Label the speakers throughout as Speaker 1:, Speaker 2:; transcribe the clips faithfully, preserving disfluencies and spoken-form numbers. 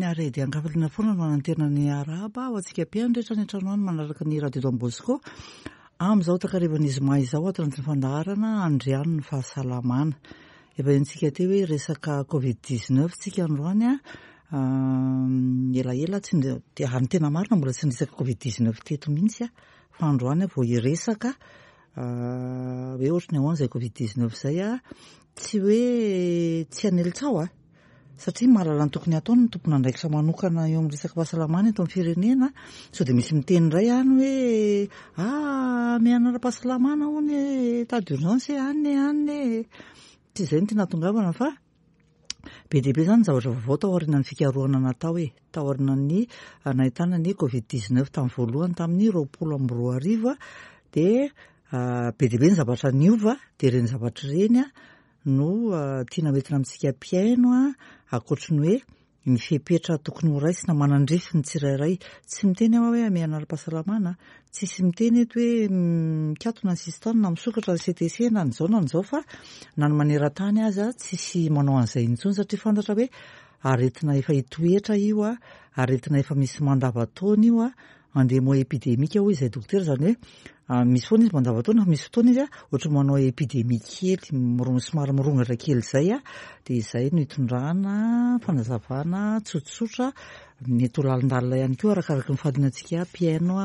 Speaker 1: Ary dia an-kafaliana foana no hanantena ny arahaba ho antsika mpihaino rehetra any an-trano any manaraka ny Radio Don Bosco amin'izao takarivan'ny zoma izao ato anatin'ny fandaharana Andriano ny fahasalamana. Efa henontsika teo hoe resaka Covid dix-neuf tsika androany a, elaela tsy dia ary ny tena marina mbola tsy niresaka Covid dix-neuf teto mihitsy a, fa androany aho vao hiresaka hoe ohatry ny ahoana izay Covid dix-neuf izay a, tsy hoe tsy hanely tsaho a, satria mahalala ny tokony hataony ny tompon'andraikitra manokana eo amin'ny resaka fahasalamana eto amin'ny firenena, sao dia misy miteny indray any hoe ah miaina ara-pahasalamana hono e, état d'urgence any any e, tsy izay no tiana hahatongavana fa be dia be izany ny zavatra vaovao tao aorianan'ny fikarohana natao e, tao aorianan'ny nahitana ny Covid dix-neuf tamin'ny voalohany tamin'ny roapolo amby roa arivo dia be dia be ny zavatra niova, dia ireny zavatra ireny no tiana hoentina amintsika mpihaino ankoatry ny hoe ny fepetra tokony ho raisina manandrify ny tsirairay. Tsy miteny aho hoe hamehana ara-pahasalamana, tsisy miteny eto hoe mikatona ny sisintany na misokatra ny C T C na n'izao na n'izao, fa na ny maneran-tany aza tsisy manao an'izay intsony satria fantatra hoe aretina efa hitoetra io, aretina efa misy mandavantaona io, endémie épidémique hoy izay dokotera, izany hoe misy foana izy mandavantaona fa misy fotoana izy ohatry manao épidémie kely, miro-, somary mirongatra kely izay, dia izay no hitondrana fanazavana tsotsotra, mety ho lalindalina ihany koa arakaraka ny fahalianantsika mpihaino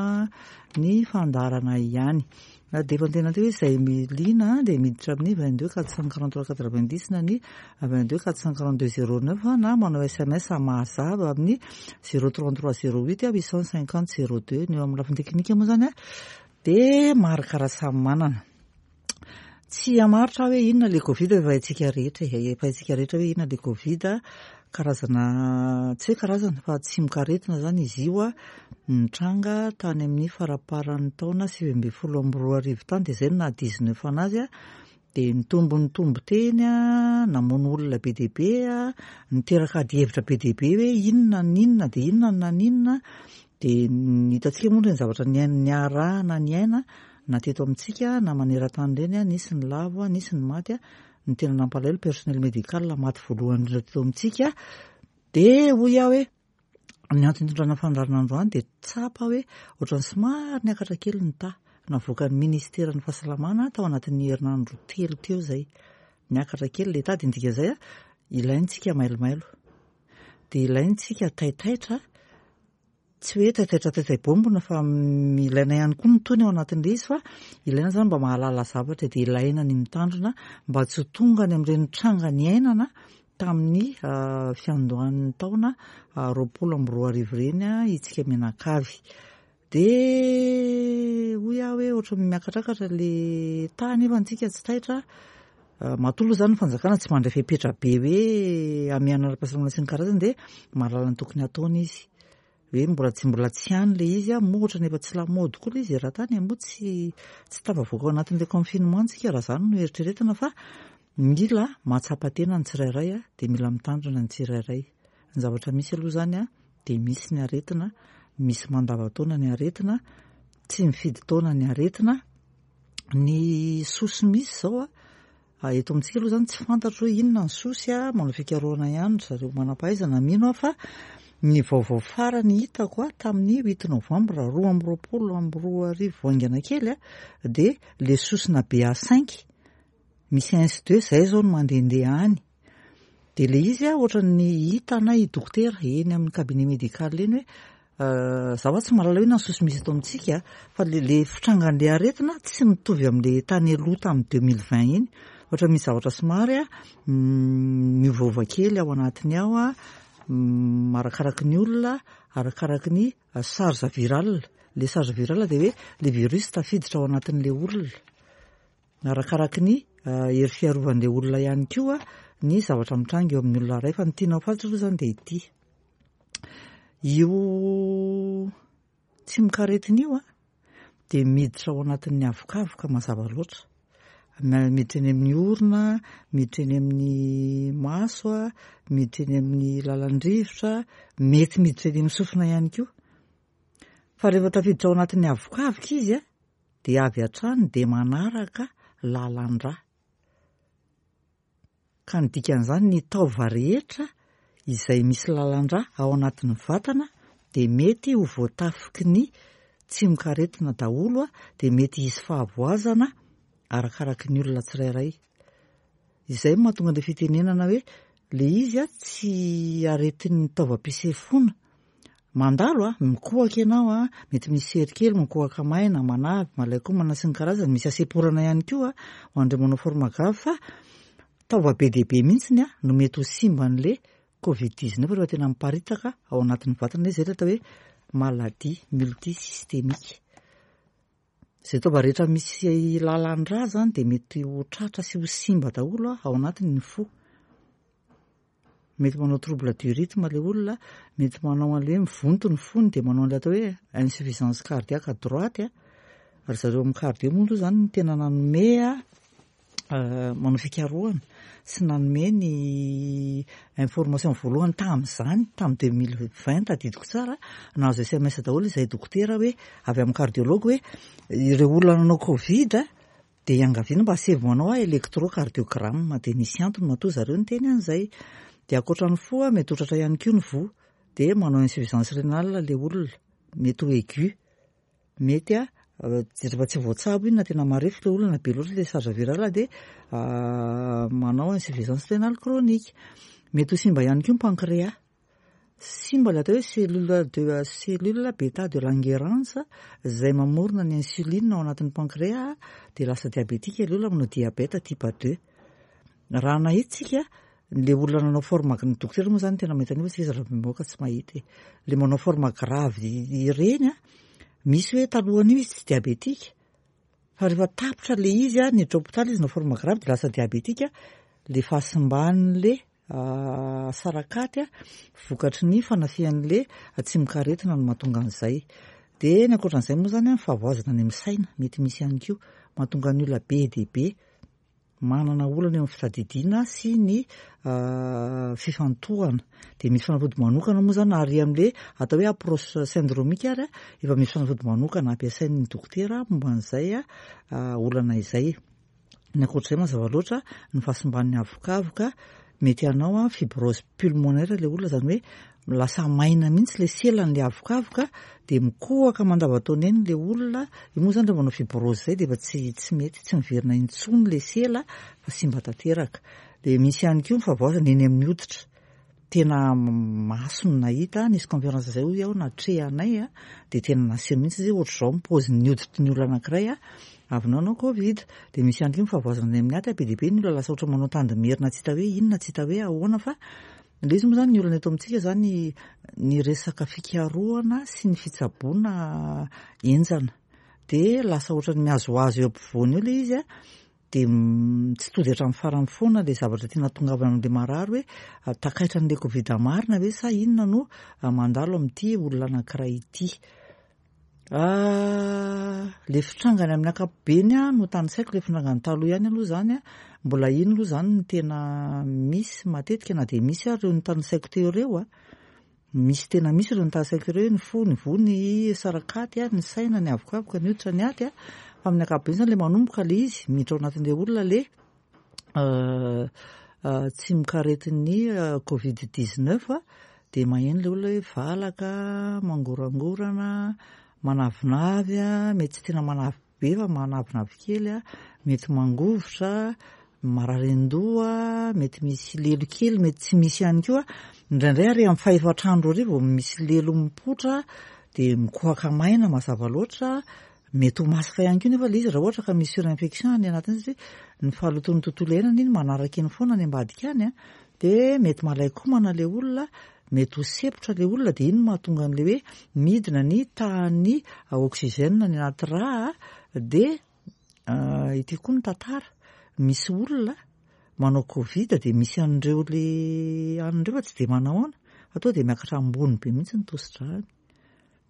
Speaker 1: ny fandaharana ihany. Dia efa niteny teo hoe izay liana dia miditra amin'ny vingt-deux quatre cent quarante-trois quatre-vingt-dix na ny vingt-deux quatre cent quarante-deux zéro neuf na manao S M S mazava amin'ny zéro trente-trois zéro huit huit cent cinquante zéro deux. Ny eo amin'ny lafiny teknika moa izany dia Marc Rasamimanana. Tsy hamaritra hoe inona ilay Covid efa haintsika rehetra e, efa haintsika rehetra hoe inona ilay Covid, karazana, tsy hoe karazana fa tsimokaretina izany izy io nitranga tany amin'ny faramparan'ny taona sivy ambin'ny folo amby roa arivo tany, dia izay no naha dix-neuf anazy, dia nitombo nitombo teny, namono olona be dia be, niteraka adihevitra be dia be hoe inona n'inona dia inona na n'inona, dia ny hitantsika moa ireny zavatra niaina, niarahana niaina na teto amintsika na maneran-tany ireny, nisy ny lavo, nisy ny maty, ny tena nampalahelo personnel médical maty voalohany indrindra teto amintsika. Dia hoy aho hoe ny antony hitondrana fandaharana androany dia tsapa hoe ohatran'ny somary niakatra kely ny taha navoakan'ny ministeran'ny fahasalamana tao anatin'ny herinandro telo teo izay. Niakatra kely ilay taha, dia ny dikan'izay a, ilaintsika mailomailo, dia ilaintsika taitaitra, tsy hoe taitaitra taitay bombona fa ilaina ihany koa ny tony ao anatin'ilay izy, fa ilaina izany mba mahalala zavatra, dia ilaina ny mitandrina mba tsy ho tonga any amin'ireny tranga niainana tamin'ny fiandohan'ny taona roapolo amby roa arivo ireny isika mianakavy. Dia hoy aho hoe ohatran'ny miakatrakatra ilay taha nefa antsika tsy taitra. Matoa aloha izany ny fanjakana tsy mandray fepetra be hoe hamehana ara-pahasalamana sy ny karazany, dia mahalala ny tokony hataony izy. Hoe mbola tsy mbola tsy any ilay izy, moa ohatran'ny efa tsy lamaody koa ilay izy eran-tany, moa tsy, tsy tafavoaka ao anatin'ilay confinement tsika raha izany no eritreretina, fa mila mahatsapa tena ny tsirairay, dia mila mitandrina ny tsirairay. Ny zavatra misy aloha izany dia misy ny aretina, misy mandavantaona ny aretina, tsy mifidy taona ny aretina. Ny sosy misy izao a, eto amintsika aloha izany tsy fantatro hoe inona ny sosy, manao fikarohana ihany ry zareo manam-pahaizana, mino aho fa ny vaovao farany hitako a tamin'ny huit novembre roa amby roapolo amby roa arivo haingana kely a, dia le sosina B A cinq misy un sy deux izay izao no mandehandeha any. Dia ilay izy a ohatran'ny hitanay dokotera eny amin'ny cabinet médical eny hoe zaho tsy mahalala hoe inona ny sosy misy eto amintsika, fa le, le fitrangan'ilay aretina tsy mitovy amin'ilay tany aloha tamin'ny deux mille vingt iny. Ohatra misy zavatra somary a miovaova kely ao anatiny ao a, arakaraky ny olona, arakaraky ny charge virale. Le charge virale dia hoe le virus tafiditra ao anatin'ilay olona, arakaraky ny hery fiarovan'ilay olona ihany koa ny zavatra mitranga eo amin'ny olona iray. Fa ny tiana ho fantatra aloha izany dia ity, io tsimokaretina io a dia miditra ao anatin'ny avokavoka mazava loatra, miditra eny amin'ny orona, miditra eny amin'ny maso, miditra eny amin'ny lalan-drivotra, mety miditra eny amin'ny sofina ihany koa. Fa rehefa tafiditra ao anatin'ny avokavoka izy a dia avy hatrany dia manaraka lalan-drà. Ka ny dikan'izany ny taova rehetra izay misy lalan-drà ao anatin'ny vatana dia mety ho voatafiky ny tsimokaretina daholo, dia mety hisy fahavoazana arakaraky ny olona tsirairay. Izay no mahatonga an'ilay fitenenana hoe le izy a tsy aretin'ny taovam-pisefoana. Mandalo a, mikohaka ianao a, mety misy sery kely, mikohaka maina, manavy, malain-komana sy ny karazany, misy hasemporana ihany koa ho an'ireo manao forme grave, fa taova be dia be mihitsiny a no mety ho simban'le covid dix-neuf rehefa tena miparitaka ao anatin'ny vatana izy. Izay ilay atao hoe maladie multisystémique. Izay taova rehetra misy lalan-drà zany dia mety ho tratra sy ho simba daholo ao anatin'ny fo. Mety manao trouble du rythme ilay olona, mety manao an'ilay hoe mivonto ny fony dia manao an'ilay atao hoe insuffisance cardiaque droite. Ry zareo amin'ny cardio moa aloha zany no tena nanome manao fikarohana sy nanome ny information voalohany tamin'izany, tamin'ny deux mille vingt tadidiko tsara, nahazo S M S daholo izay dokotera hoe avy amin'ny cardiologue hoe ireo olona nanao covid dia iangaviana mba asaivo manao électrocardiogramme, dia nisy antony matoa zareo niteny an'izay. Dia ankoatra ny fo, mety ho tratra ihany koa ny voa, dia manao insuffisance rénale ilay olona, mety ho aigu, mety a rehefa tsy voatsabo iny na tena marefo ilay olona na be loatra ilay charge virale dia manao insuffisance rénale chronique. Mety ho simba ihany koa ny pancréas, simba ilay atao hoe cellule de cellule bêta de Langerhans izay mamorona ny insuline ao anatin'ny pancréas, dia lasa diabétique ilay olona, manao diabète type deux. Raha nahita tsika le olona nanao forme, ny dokotera moa zany tena mahita an'io fa tsika zava-mivoaka tsy mahita e. Le manao forme grave ireny a, misy hoe talohan'io izy tsy diabétique fa rehefa tapitra le izy a niditra hôpitaly izy nanao forme grave dia lasa diabétique. Le fahasimban'le sarakaty a vokatry ny fanafihan'le tsimokaretina no mahatonga an'izay. Dia ny ankoatran'izay moa zany a, ny fahavoazana any amin'ny saina mety misy ihany koa, mahatonga ny olona be dia be manana olana eo amin'ny fitadidiana sy ny fifantohana. Dia misy fanafody manokana moa zany ary amin'le atao hoe approche syndromique ary efa misy fanafody manokana ampiasain'ny dokotera momba an'izay olana izay. Ny ankoatr'izay, mazava loatra, ny fahasimban'ny avokavoka, mety hanao a fibrose pulmonaire ilay olona, zany hoe lasa maina mihitsy le selan'le avokavoka dia mikohaka mandava-taona eny le olona. Io moa zany rehefa manao fibrose zay dia efa tsy tsy mety tsy miverina intsony le sela fa simba tanteraka. Dia misy ihany koa ny fahavoazana eny amin'ny hoditra. Tena maso no nahita, nisy conférence zay hoy aho natrehanay a, dia tena naseho mihitsy izy ohatr'izao ny paozin'ny hoditry ny olona anankiray a avy nanao covid. Dia misy ihany koa ny fahavoazana any amin'ny aty, be dia be ny olona lasa ohatra manao tandimerina, tsy hita hoe inona, tsy hita hoe ahoana. Fa ilay izy moa zany, ny olana eto amintsika zany, ny resaka fikarohana sy ny fitsaboana enjana, dia lasa ohatran'ny mihazohazo eo ampovoany eo ilay izy a, dia tsy tody hatramin'ny farany foana ilay zavatra tiana tongavana amin'ilay marary hoe takaitra an'ilay covid marina ve sa inona no mandalo amin'ity olona anankiray ity. Le fitrangany amin'ny ankapobeny a no tanisaiko, le fitrangany taloha ihany aloha zany a, mbola iny aloha zany no tena misy matetika, na dia misy ary ireo notanisaiko teo ireo a, misy tena misy ireo notanisaiko ireo: ny fo, ny voa, ny sarakaty a, ny saina, ny avokavoka, ny hoditra, ny aty a. Fa amin'ny ankapobeny zany, le manomboka le izy miditra ao anatin'ilay olona le tsimokaretin'ny covid dix-neuf a, dia maheno ilay olona hoe valaka, mangorangorana, manavinavy a, mety tsy tena manavy be fa manavinavy kely a, mety mangovitra, marary an-doha, mety misy lelo kely, mety tsy misy ihany koa indraindray, ary amin'ny fahefatrandro ary vao misy lelo mipoitra, dia mikohaka maina mazava loatra. Mety ho masaka ihany koa nefa ilay izy raha ohatra ka misy surinfection any anatiny, satria ny fahalotoan'ny tontolo iainana iny manaraka iny foana any ambadika any a. Dia mety malai-komana ilay olona, mety ho sempotra ilay olona, dia iny no mahatonga an'ilay hoe midina ny tahan'ny oxygène any anaty rà. Dia ity koa ny tantara, misy olona manao covid dia misy an'ireo le an'ireo fa tsy dia manahoana fa tonga dia miakatra ambony be mihitsy ny tosi-dràny,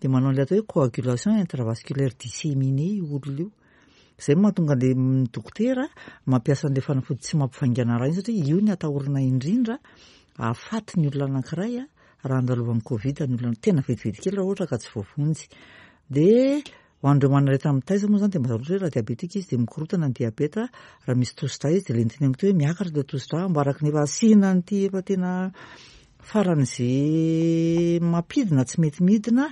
Speaker 1: dia manao an'ilay atao hoe coagulation intravasculaire disséminée io olona io. Izay no mahatonga an'ilay dokotera mampiasa an'ilay fanafody tsy mampivaingana rà iny, satria io ny atahorana indrindra ahafaty ny olona anankiray a raha andalovan'ny covid ny olona tena vetivety kely raha ohatra ka tsy voavonjy. Dia ho an'ireo manana aretina mitaiza moa zany, dia mazava loatra hoe raha diabétique izy dia mikorotana ny diabeta, raha misy tosi-drà izy dia le niteneniko teo hoe miakatra ilay tosi-drà ambaraky ny efa asiana an'ity efa tena Faran'izay mampidina tsy mety midina,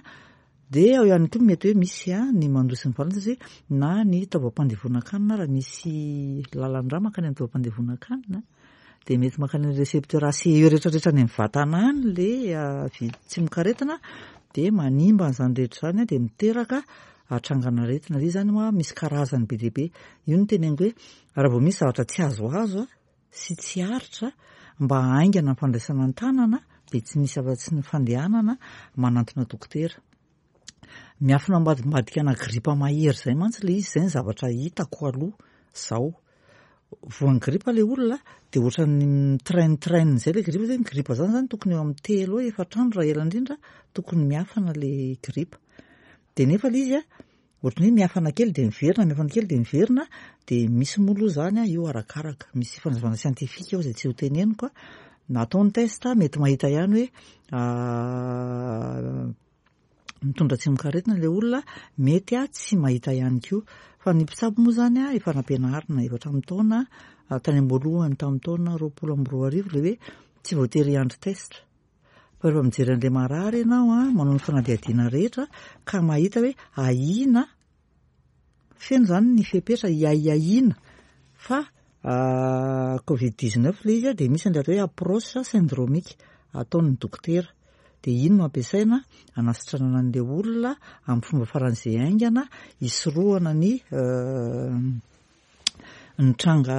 Speaker 1: dia ao ihany koa mety hoe misy ny mandoa sy ny valana satria na ny taovam-pandevonan-kanina raha misy lalan-drà mankany amin'ny taovam-pandevonan-kanina dia mety mankany amin'ny récepteur A C E rehetrarehetra any amin'ny vatana any le tsimokaretina, dia manimba an'izany rehetra izany, dia miteraka hatrangan'aretina. Ilay izy izany moa misy karazany be dia be. Io no teneniko hoe raha vao misy zavatra tsy azoazo sy tsy aritra, mba haingana ny fandraisana an-tanana, dia tsy misy afa-tsy ny fandehanana manantona dokotera. Miafina ambadimbadika ana gripa mahery izay mantsy ilay izy, izay ny zavatra hitako aloha izao. Voan'ny gripa ilay olona dia ohatran'ny mitrain-train izay ilay gripa. Ny gripa izany zany tokony eo amin'ny telo eo efatra andro raha ela indrindra tokony miafana ilay gripa. Dia nefa ilay izy a ohatran'ny hoe miafana kely dia miverina, miafana kely dia miverina, dia misy moa aloha izany io arakaraka. Misy fanazavana siantifika ao izay tsy ho teneniko. Na atao ny test mety mahita ihany hoe mitondra tsimokaretina ilay olona, mety tsy mahita ihany koa. Fa ny mpitsabo moa izany efa nampianarina efa hatramin'ny taona tany am-boalohany tamin'ny taona roapolo amby roa arivo ilay hoe tsy voatery hiandry test. Fa rehefa mijery an'ilay marary ianao, manao ny fanadihadiana rehetra ka mahita hoe ahiana, feno izany ny fepetra hiahiahiana fa covid dix-neuf ilay izy, dia misy an'ilay atao hoe approche syndromique ataon'ny dokotera. Dia iny no ampiasaina hanasitranana an'ilay olona amin'ny fomba faran'izay haingana, hisorohana ny ny tranga,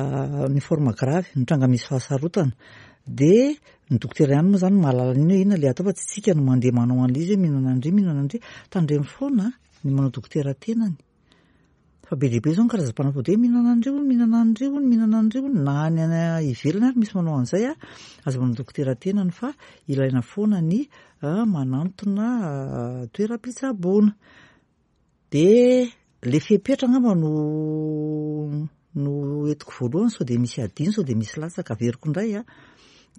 Speaker 1: ny forme grave, ny tranga misy fahasarotana. Dia ny dokotera ihany moa izany mahalala an'iny hoe inona ilay atao, fa tsy tsika no mandeha manao an'ilay izy hoe mihinana andry, mihinana andry. Tandremo foana ny manao dokotera tenany. Fa be dia be izao ny karazam-panafody hoe mihinana andry hono, mihinana andry hono, mihinana andry hono, na any ivelany ary misy manao an'izay. Aza manao dokotera tenany fa ilaina foana ny manantona toeram-pitsaboana. Dia ilay fepetra angamba no no entiko voalohany sao dia misy adino, sao dia misy latsaka averiko indray a.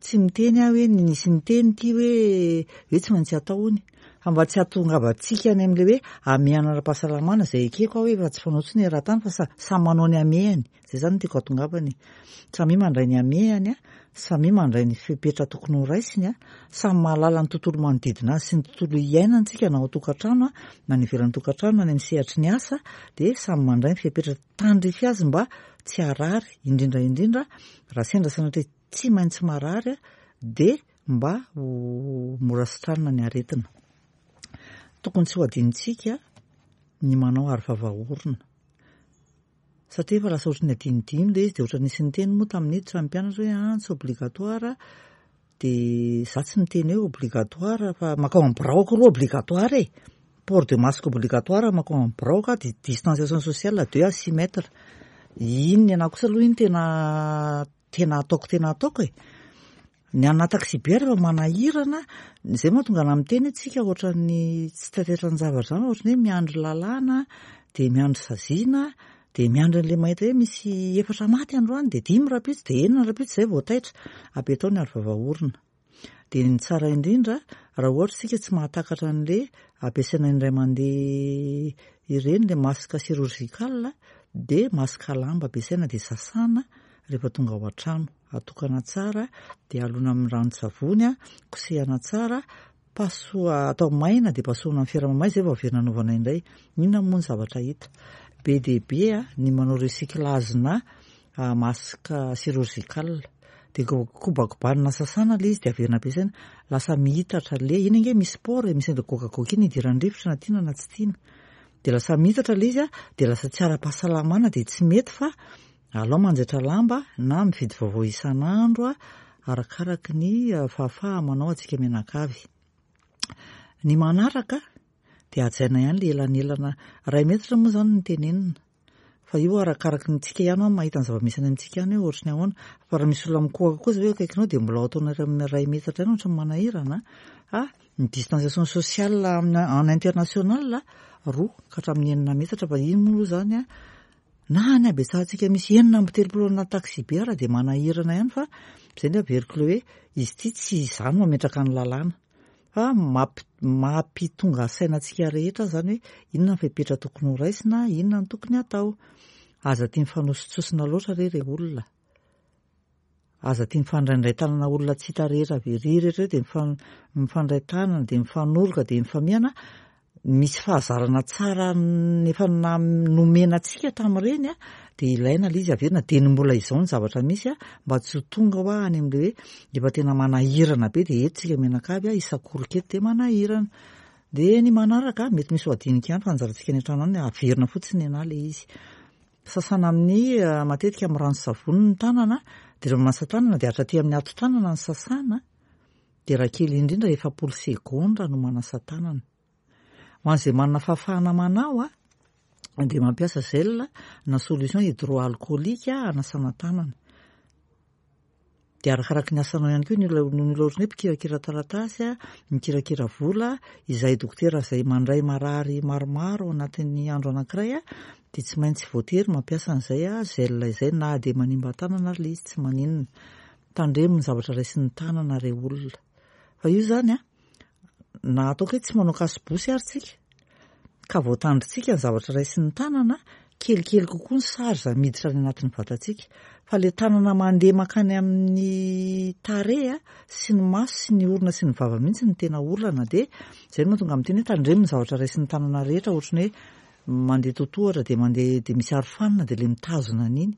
Speaker 1: Tsy miteny aho hoe nisy niteny ity hoe hoe tsy maintsy atao hono. Fa mba tsy hahatongavantsika any amin'ilay hoe hamehana ara-pahasalamana izay ekeko aho hoe efa tsy fanao intsony eran-tany fa samy manao ny hamehany. Izay izany no tiako hahatongavana e. Samy mandray ny hamehany, samy mandray ny fepetra tokony ho raisiny, samy mahalala ny tontolo manodidina azy sy ny tontolo iainany tsika na ao an-tokantrano na any ivelan'ny tokantrano na any amin'ny sehatry ny asa, dia samy mandray ny fepetra tandrify azy mba tsy harary, indrindra indrindra raha sendra sanatria tsy maintsy marary dia mba ho mora sitranina ny aretina. Tokony tsy ho adinontsika ny manao aro vava orona. Satria efa lasa ohatran'ny adinodino ilay izy, dia ohatran'ny nisy niteny moa tamin'ny niditra ny mpianatra hoe ah, tsy obligatoire, dia za tsy miteny hoe obligatoire fa mankao amin'ny biraoko aloha obligatoire e. Port de masque obligatoire mankao amin'ny birao ka, dia distanciation sociale deux à six mètres. Iny ny anahy kosa aloha iny tena tena ataoko tena ataoko e. Ny ana taxi-be rehefa manahirana, izay mahatonga anahy miteny hoe tsika ohatran'ny tsy taitaitran'ny zavatra izany, ohatran'ny hoe miandry lalàna, dia miandry saziana, dia miandry an'ilay mahita hoe misy efatra maty androany, dia dimy rahampitso, dia enina rahampitso, izay vao taitra. Apetao ny aro vava orona. Dia ny tsara indrindra, raha ohatra isika tsy mahatakatra an'ilay ampiasaina indray mandeha ireny, ilay masque chirurgical, dia masque lamba ampiasaina dia sasana rehefa tonga ao an-trano. Atokana tsara, dia alona amin'ny ranon-tsavony, kosehana tsara, pasoa atao maina dia pasohana amin'ny fera mamay, izay vao averina anaovana indray. Inona moa ny zavatra hita? Be dia be ny manao recyclage-na masque chirurgical. Dia kobakobanina sasana ilay izy dia averina ampiasaina. Lasa mihitatra ilay, iny ange misy pore, misy an'ilay goakagoaka iny idiran'ny rivotra na tiana na tsy tiana. Dia lasa mihitatra ilay izy, dia lasa tsy ara-pahasalamana, dia tsy mety fa alao manjaitra lamba na mividy vaovao isan'andro arakaraky ny fahafaha manao antsika mianakavy. Ny manaraka dia hajaina ihany ilay elanelana iray metatra moa izany no tenenina. Fa io arakaraky ny tsika ihany mahita ny zava-misy any amintsika ihany hoe ohatry ny ahoana. Fa raha misy olona mikohaka koa zao hoe akaikinao dia mbola ao ataonao iray metatra ihany ohatry ny manahirana. Ah, ny distanciation sociale en international roa ka hatramin'ny enina metatra, fa iny moa aloha izany a na ny habetsahantsika misy enina amby telopolo anaty taxi-be ara dia manahirana ihany, fa izay no averiko ilay hoe izy ity tsy izany mametraka ny lalàna fa mampitonga saina antsika rehetra izany hoe inona ny fepetra tokony ho raisina, inona no tokony hatao. Aza tia mifanositsosina loatra re re olona. Aza tia mifandraindray tanana olona tsy hita rehetra avy ery rehetra eo dia mifan- mifandray tanana dia mifanoroka dia mifamihana. Misy fahazarana tsara efa na- nomena antsika tamin'ireny a, dia ilaina ilay izy averina dia ny mbola izao ny zavatra misy a, mba tsy ho tonga hoa any amin'ilay hoe efa tena manahirana be dia eto tsika mianakavy a, isakorika eto dia manahirana. Dia ny manaraka mety misy ho adinika ihany fa anjarantsika any an-trano any averina fotsiny ny anà ilay izy. Sasana amin'ny matetika amin'ny rano savony ny tanana, dia rehefa manasa tanana dia hatraty amin'ny hato-tanana ny sasana, dia raha kely indrindra efapolo segondra no manasa tanana. Ho an'izay manana fahafahana manao a, dia mampiasa gel na solution hydroalcoolique hanasana tanana. Dia arakaraky ny asanao ihany koa ny olona ny olona ohatran'ny hoe mpikirakira taratasy a, mikirakira vola, izay dokotera izay mandray marary maromaro ao anatin'ny andro anankiray a, dia tsy maintsy voatery mampiasa an'izay a gel izay na dia manimba tanana ary ilay izy tsy maninona. Tandremo ny zavatra raisin'ny tanana re olona. Fa io zany a, na ataoko hoe tsy manao kasibosy ary tsika, ka voatandrintsika ny zavatra raisin'ny tanana, kelikely kokoa ny sary izay miditra any anatin'ny vatantsika. Fa ilay tanana mandeha mankany amin'ny tarehy a, sy ny maso sy ny orona sy ny vava mihitsy no tena olana. Dia izay no mahatonga miteny hoe tandremo ny zavatra raisin'ny tanana rehetra, ohatran'ny hoe mandeha totohatra dia mandeha dia misy arofanina dia ilay mitazona an'iny.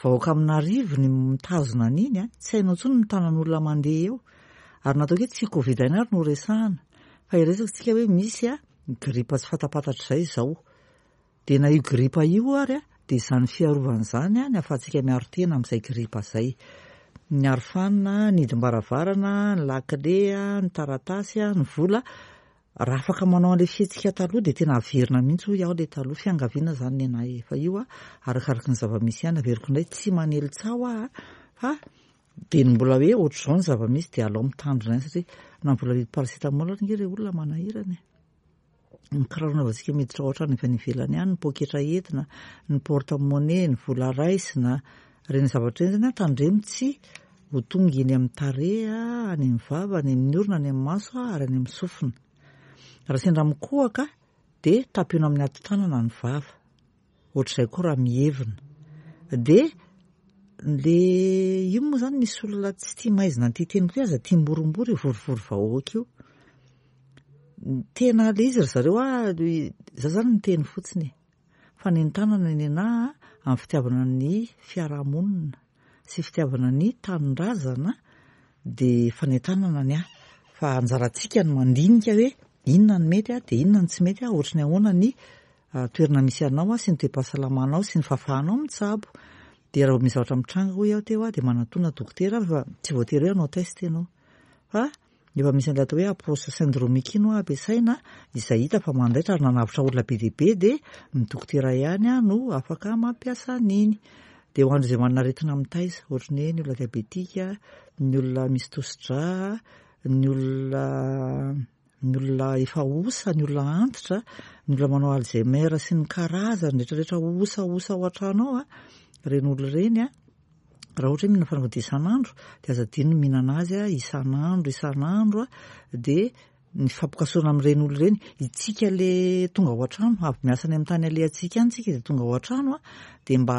Speaker 1: Vahoaka amin'arivo ny mitazona an'iny a, tsy hainao intsony ny tanan'olona mandeha eo. Ary nataoko hoe tsy Covid ihany ary no resahana, fa iresaka tsika hoe misy a gripa tsy fantapantatra izay izao. Dia na io gripa io ary a, dia izany fiarovana izany a, ny ahafahantsika miaro tena amin'izay gripa izay. Ny arofanina, ny hidim-baravarana, ny lakile, ny taratasy, ny vola. Raha afaka manao an'ilay fihetsika taloha dia tena averina mihitsy hoy aho ilay taloha. Fiangaviana izany ny anahy efa io a, arakaraky ny zava-misy ihany. Averiko indray tsy manely tsaho aho fa dia ny mbola hoe ohatr'izao ny zava-misy dia alao mitandrina ihany satria na mbola vidy paracétamol ary nge ireo olona manahirana e. Ny kiraro anaovantsika miditra ao an-trano avy any ivelany any, ny poketra entina, ny porte-monnaie, ny vola raisina, ireny zavatra ireny zany a, tandremo tsy ho tonga eny amin'ny tarehy, any amin'ny vava, any amin'ny orona, any amin'ny maso ary any amin'ny sofina. Raha sendra mikohaka dia tampino amin'ny hato-tanana ny vava. Ohatr'izay koa raha mihevina. Dia le io moa zany misy olona tsy tia maizina an'ity teniko ity, aza tia mborombory io vorivory vahoaka io. Tena le izy ry zareo a, za zany miteny fotsiny e. Fanentanana ny anahy amin'ny fitiavana ny fiarahamonina sy fitiavana ny tanindrazana dia fanentanana ny ahy. Fa anjarantsika ny mandinika hoe inona ny mety a, dia inona ny tsy mety a, ohatry ny ahoana ny toerana misy anao sy ny toe-pahasalamanao sy ny fahafahanao mitsabo. Dia raha misy zavatra mitranga hoy aho teo a, dia manatona dokotera fa tsy voatery hoe hanao test ianao. Fa efa misy an'ilay atao hoe approche syndromique iny hoa ampiasaina izay hita fa mandaitra ary nanavotra olona be dia be dia ny dokotera ihany a no afaka mampiasa an'iny. Dia ho an'izay manana aretina mitaiza, ohatry ny hoe ny olona diabetika, ny olona misy tosi-drà, ny olona ny olona efa osa, ny olona antitra, ny olona manao Alzheimer sy ny karazany rehetrarehetra osaosa ao an-trano ao a, ireny olona ireny a, raha ohatra hoe mihinana fanafody isan'andro dia aza adino ny mihinana azy a isan'andro isan'andro a, dia ny fampikasohana amin'ireny olona ireny. Itsika le tonga ao an-trano, avy miasa any amin'ny tany alehantsika any tsika dia tonga ao an-trano a, dia mba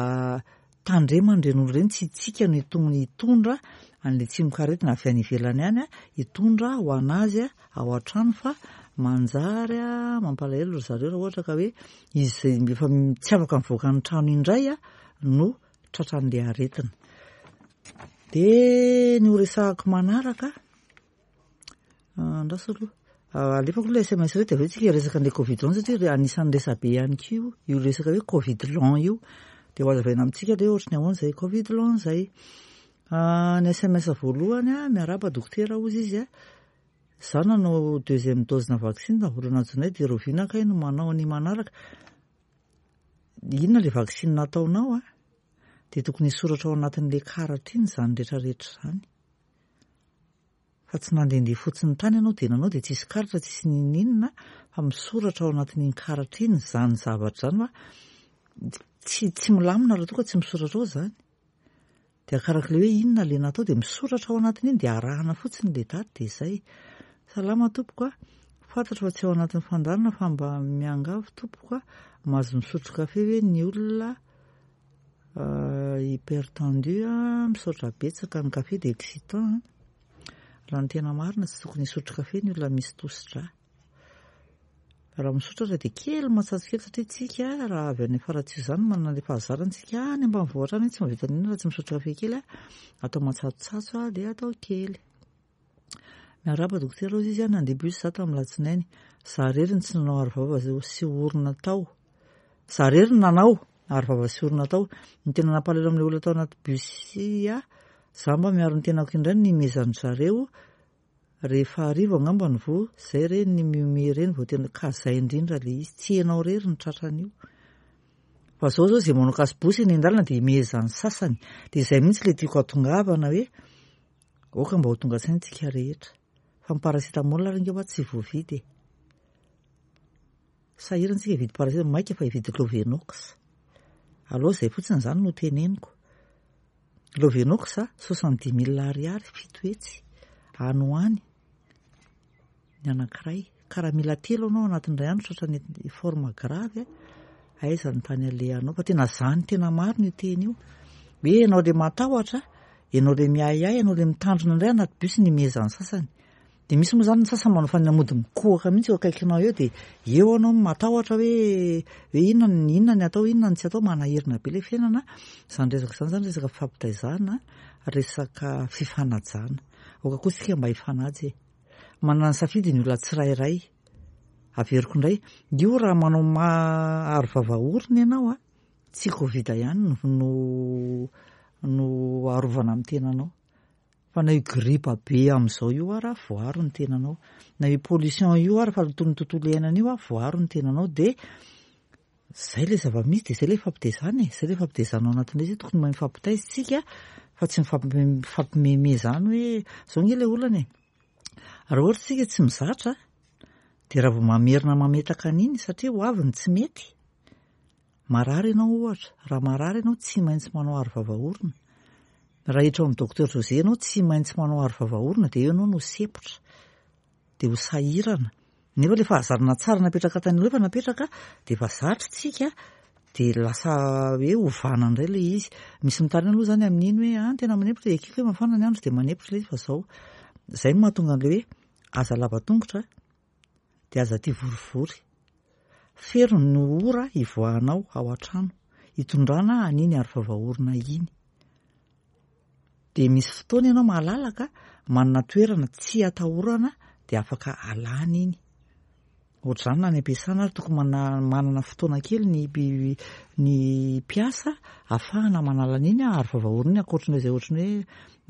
Speaker 1: tandremana ireny olona ireny, tsy itsika no hitong- hitondra an'ilay tsimokaretina avy any ivelany any a, hitondra ho an'azy ao an-trano fa manjary a, mampalahelo ry zareo raha ohatra ka hoe izy izay efa tsy afaka mivoaka ny trano indray a no tratran'ilay aretina. Dia ny ho resahako manaraka, andraso aloha, alefako aloha S M S ireto dia avy eo tsika hiresaka an'ilay Covid long satria anisan'ny resabe ihany koa io, io resaka hoe Covid long io. Dia ho azavaina amintsika ilay ohatry ny ahoana izay Covid long izay. Ny S M S voalohany a, miarahaba dokotera hozy izy a, za nanao deuxième dose na vaccin tamin'ny volana jona dia rahoviana kay no manao ny manaraka. Inona ilay vaccin nataonao a? Dia tokony hisoratra ao anatin'ilay karatra iny izany rehetrarehetra izany. Fa tsy nandehandeha fotsiny tany ianao dia nanao dia tsisy karatra, tsisy n'inon'inona, fa misoratra ao anatin'iny karatra iny izany zavatra izany fa tsy, tsy milamina raha toa ka tsy misoratra ao izany. Dia arakaraka ilay hoe inona ilay natao dia misoratra ao anatin'iny dia arahana fotsiny ilay daty dia izay. Salama tompoko a, fantatro fa tsy ao anatin'ny fandaharana fa mba miangavy tompoko a, mahazo misotro kafe ve ny olona Hypertendu a, misaotra betsaka, ny kafe dia excitant. Raha ny tena marina, tsy tokony hisotro kafe ny olona misy tosidra. Raha misotro aza dia kely, matsatso kely, satria tsika raha avy any Faratsiho izany manana le fahazarana tsika any ambanivohitra any, tsy mahavita n'inona raha tsy misotro kafe kely a, atao matsatsotso a, dia atao kely. Miarahaba dokotera, hozy izy a, nandeha bus za tamin'ny latsinainy. Za rery ny tsy nanao arovava sy orona tao. Za rery ny nanao arovava sy orona tao. Ny tena nampalahelo amin'ilay olona tao anaty bus a, za mba miaro ny tenako indray ny nimezan-dry zareo rehefa hariva angamba ny voa, zay re ny mihomehy ireny vao tena ka zay indrindra le izy, tsy ianao rery ny tratran'io. Fa zao zao zay manao kasibosy eny an-dalana dia imehezan'ny sasany. Dia izay mihitsy le tiako hatongavana hoe aoka mba ho tonga saina tsika rehetra. Fa ny paracétamol ary ange hoa tsy voavidy e. Sahirana tsika hividy paracétamol, maika fa hividy Lovenox. Aleo izay fotsiny izany no teneniko. Lovenox soixante dix mille ariary, fito hetsy any ho any ny anankiray. Ka raha mila telo anao anatin'ny iray andro tratran'ny forme grave, aiza ny tany alehanao? Fa tena zany tena marina io teny io. Hoe ianao le matahotra, ianao le miahiahy, ianao le mitandrina indray anaty bus ny imehezan'ny sasany. Dia misy moa zany ny sasany manao fanamody mikohaka mihitsy eo akaikinao eo, dia eo anao matahotra hoe hoe inona ny inona ny atao, inona ny tsy atao, manahirana be le fiainana. Izany resaka izany zany resaka fifampitaizana, resaka fifanajana. Aoka koa isika mba hifanaja e. Manana ny safidy ny olona tsirairay. Averiko indray, io raha manao arovava orona ianao a, tsy Covid ihany no no arovana amin'ny tenanao. Fa na io gripa be amin'izao io ara voaro ny tenanao. Na io pollution io ara, fahalotoan'ny tontolo iainana io a, voaro ny tenanao. Dia zay le zava-misy, dia zay le fampitaizana e, zay le fampitaizana ao anatin'ilay izy, tokony mahay mifampitaiza tsika fa tsy mifampimeme zany hoe zao nge le olana e. Raha ohatra tsika tsy mizatra dia raha vao mamerina mametaka an'iny, satria ho avy ny tsy mety. Marary ianao ohatra, raha marary ianao tsy maintsy manao arovava orona. Raha hiditra ao amin'ny docteur José ianao tsy maintsy manao arovava orona, dia eo ianao no sepotra, dia ho sahirana. Nefa le fahazarana tsara napetraka tany aloha efa napetraka dia efa zatra tsika, dia lasa hoe ovana indray le izy. Misy mitaraina aloha zany amin'iny hoe ah, tena manempotra, ekeko hoe mafana ny andro dia manempotra ilay izy, fa zao. Zay no mahatonga an'ilay hoe aza lava tongotra dia aza tia vorivory. Fero ny ora hivoahanao ao an-trano hitondrana an'iny arovava orona iny. Dia misy fotoana ianao malalaka, manana toerana tsy atahorana, dia afaka alana iny. Ohatr'izany na any am-piasana ary tokony mana- manana fotoana kely ny ny mpiasa ahafahana manala an'iny arovava orona iny, ankoatran'izay izay ohatran'ny hoe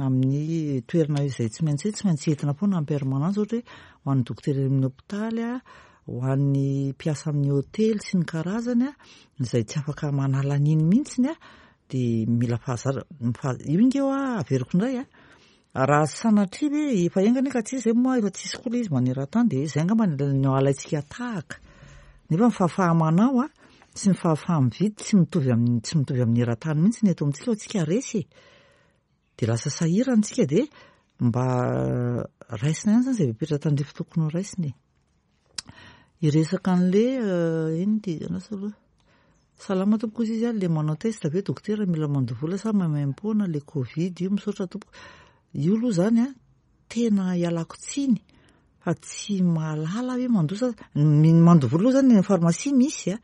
Speaker 1: amin'ny toerana izay tsy maintsy hoe tsy maintsy entina foana en permanence, ohatra hoe ho an'ny dokotera amin'ny hopitaly a, ho an'ny mpiasa amin'ny hôtely sy ny karazany a, izay tsy afaka manala an'iny mihitsiny a, dia mila fahazarana. Io nge hoa averiko indray a, raha sanatria hoe efa enga anie ka tsy izy zay moa efa tsisy koa ilay izy maneran-tany, dia izay angamba no alaintsika tahaka. Nefa ny fahafaha-manao a sy ny fahafaha-mividy tsy mitovy amin'ny tsy mitovy amin'ny eran-tany mihitsy ny eto amintsika, fa tsika resy e. Dia lasa sahirana tsika, dia mba raisina ihany zany izay fepetra tandrify tokony ho raisina e. Hiresaka an'le ino ty anasa aloha. Salama tompoko, izy izy a, le manao test ve dokotera mila mandoa vola sa maimaimpoana le Covid io? Misaotra tompoko. Io aloha zany a, tena ialako tsiny fa tsy mahalala hoe mandoa sa ny mandoa vola aloha zany ny pharmacie misy a,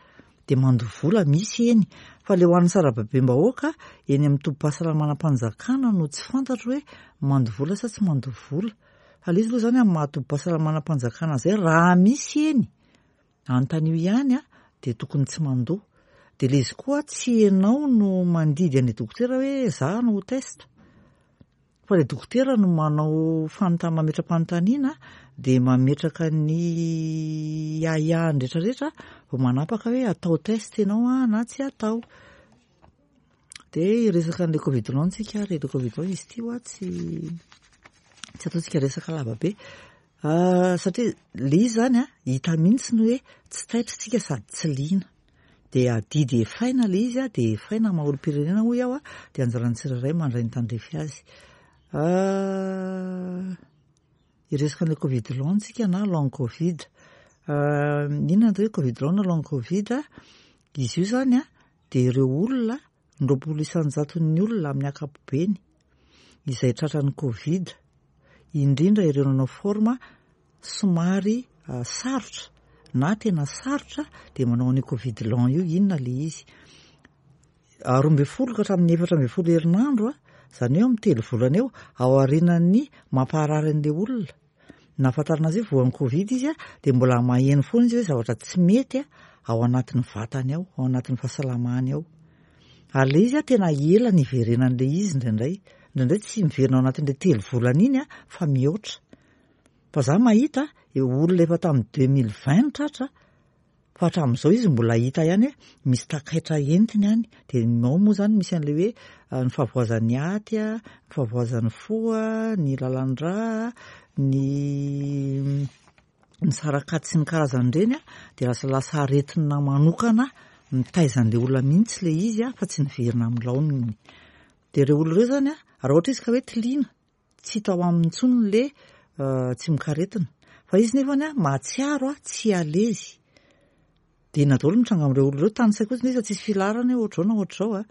Speaker 1: dia mandoa vola misy eny, fa le ho an'ny sarababem-bahoaka eny amin'ny tobim-pahasalamana-mpanjakana no tsy fantatro hoe mandoa vola sa tsy mandoa vola. Fa le izy aloha zany amin'ny maha tobim-pahasalamana-mpanjakana zay, raha misy eny anontanio ihany a, dia tokony tsy mandoa. Dia le izy koa tsy ianao no mandidy an'ilay dokotera hoe za no ho test, fa le dokotera no manao fanontany, mametra-panontaniana, dia mametraka ny ahiahiny rehetrarehetra vao manapaka hoe atao test ianao a na tsy atao. Dia hiresaka an'ilay Covid long tsika ary le Covid long izy ity hoa tsy tsy ataontsika resaka lava be, satria le izy zany a hita mihitsy ny hoe tsy taitra tsika sady tsy liana. Dia adidy efaina le izy a, dia efaina maha olom-pirenena hoy aho a, dia anjaran'ny tsirairay mandray ny tandrify azy. Hiresaka an'ilay Covid long tsika na long Covid. Inona ny atao hoe Covid long na long Covid? Izy io zany a dia ireo olona Ny roapolo isan-jaton'ny olona amin'ny ankapobeny izay tratran'ny Covid, indrindra ireo nanao forme somary sarotra na tena sarotra, dia manao an'io Covid long io. Inona ilay izy? Roa ambin'ny folo ka hatramin'ny efatra ambin'ny folo herinandro, izany hoe amin'ny telo volana eo, ao aorianan'ny mampaharary an'ilay olona. Nahafantarana azy hoe voan'ny Covid izy, dia mbola maheno foana izy hoe zavatra tsy mety ao anatin'ny vatany ao, ao anatin'ny fahasalamany ao. Ary ilay izy tena ela ny iverenan'ilay izy indraindray. Indraindray tsy miverina ao anatin'ilay telo volana iny fa mihoatra. Fa za mahita olona efa tamin'ny deux mille vingt tratra, fa hatramin'izao izy mbola hita ihany hoe misy takaitra entiny any. Dia ao moa izany misy an'ilay hoe ny fahavoazan'ny aty, ny fahavoazan'ny fo, ny lalan-drà, ny ny sarakaty sy ny karazan'ireny, dia lasa lasa aretina manokana mitaiza an'ilay olona mihitsy ilay izy fa tsy niverina amin'ny laoniny. Dia ireo olona ireo izany, raha ohatra izy ka hoe tiliana, tsy hita ao aminy intsony ilay tsimokaretina. Fa izy nefany mahatsiaro tsy à l'aise. Dia inona daholo no mitranga amin'ireo olona ireo? Tany saiko fotsiny izy fa tsisy filaharana hoe ohatr'izao na ohatr'izao.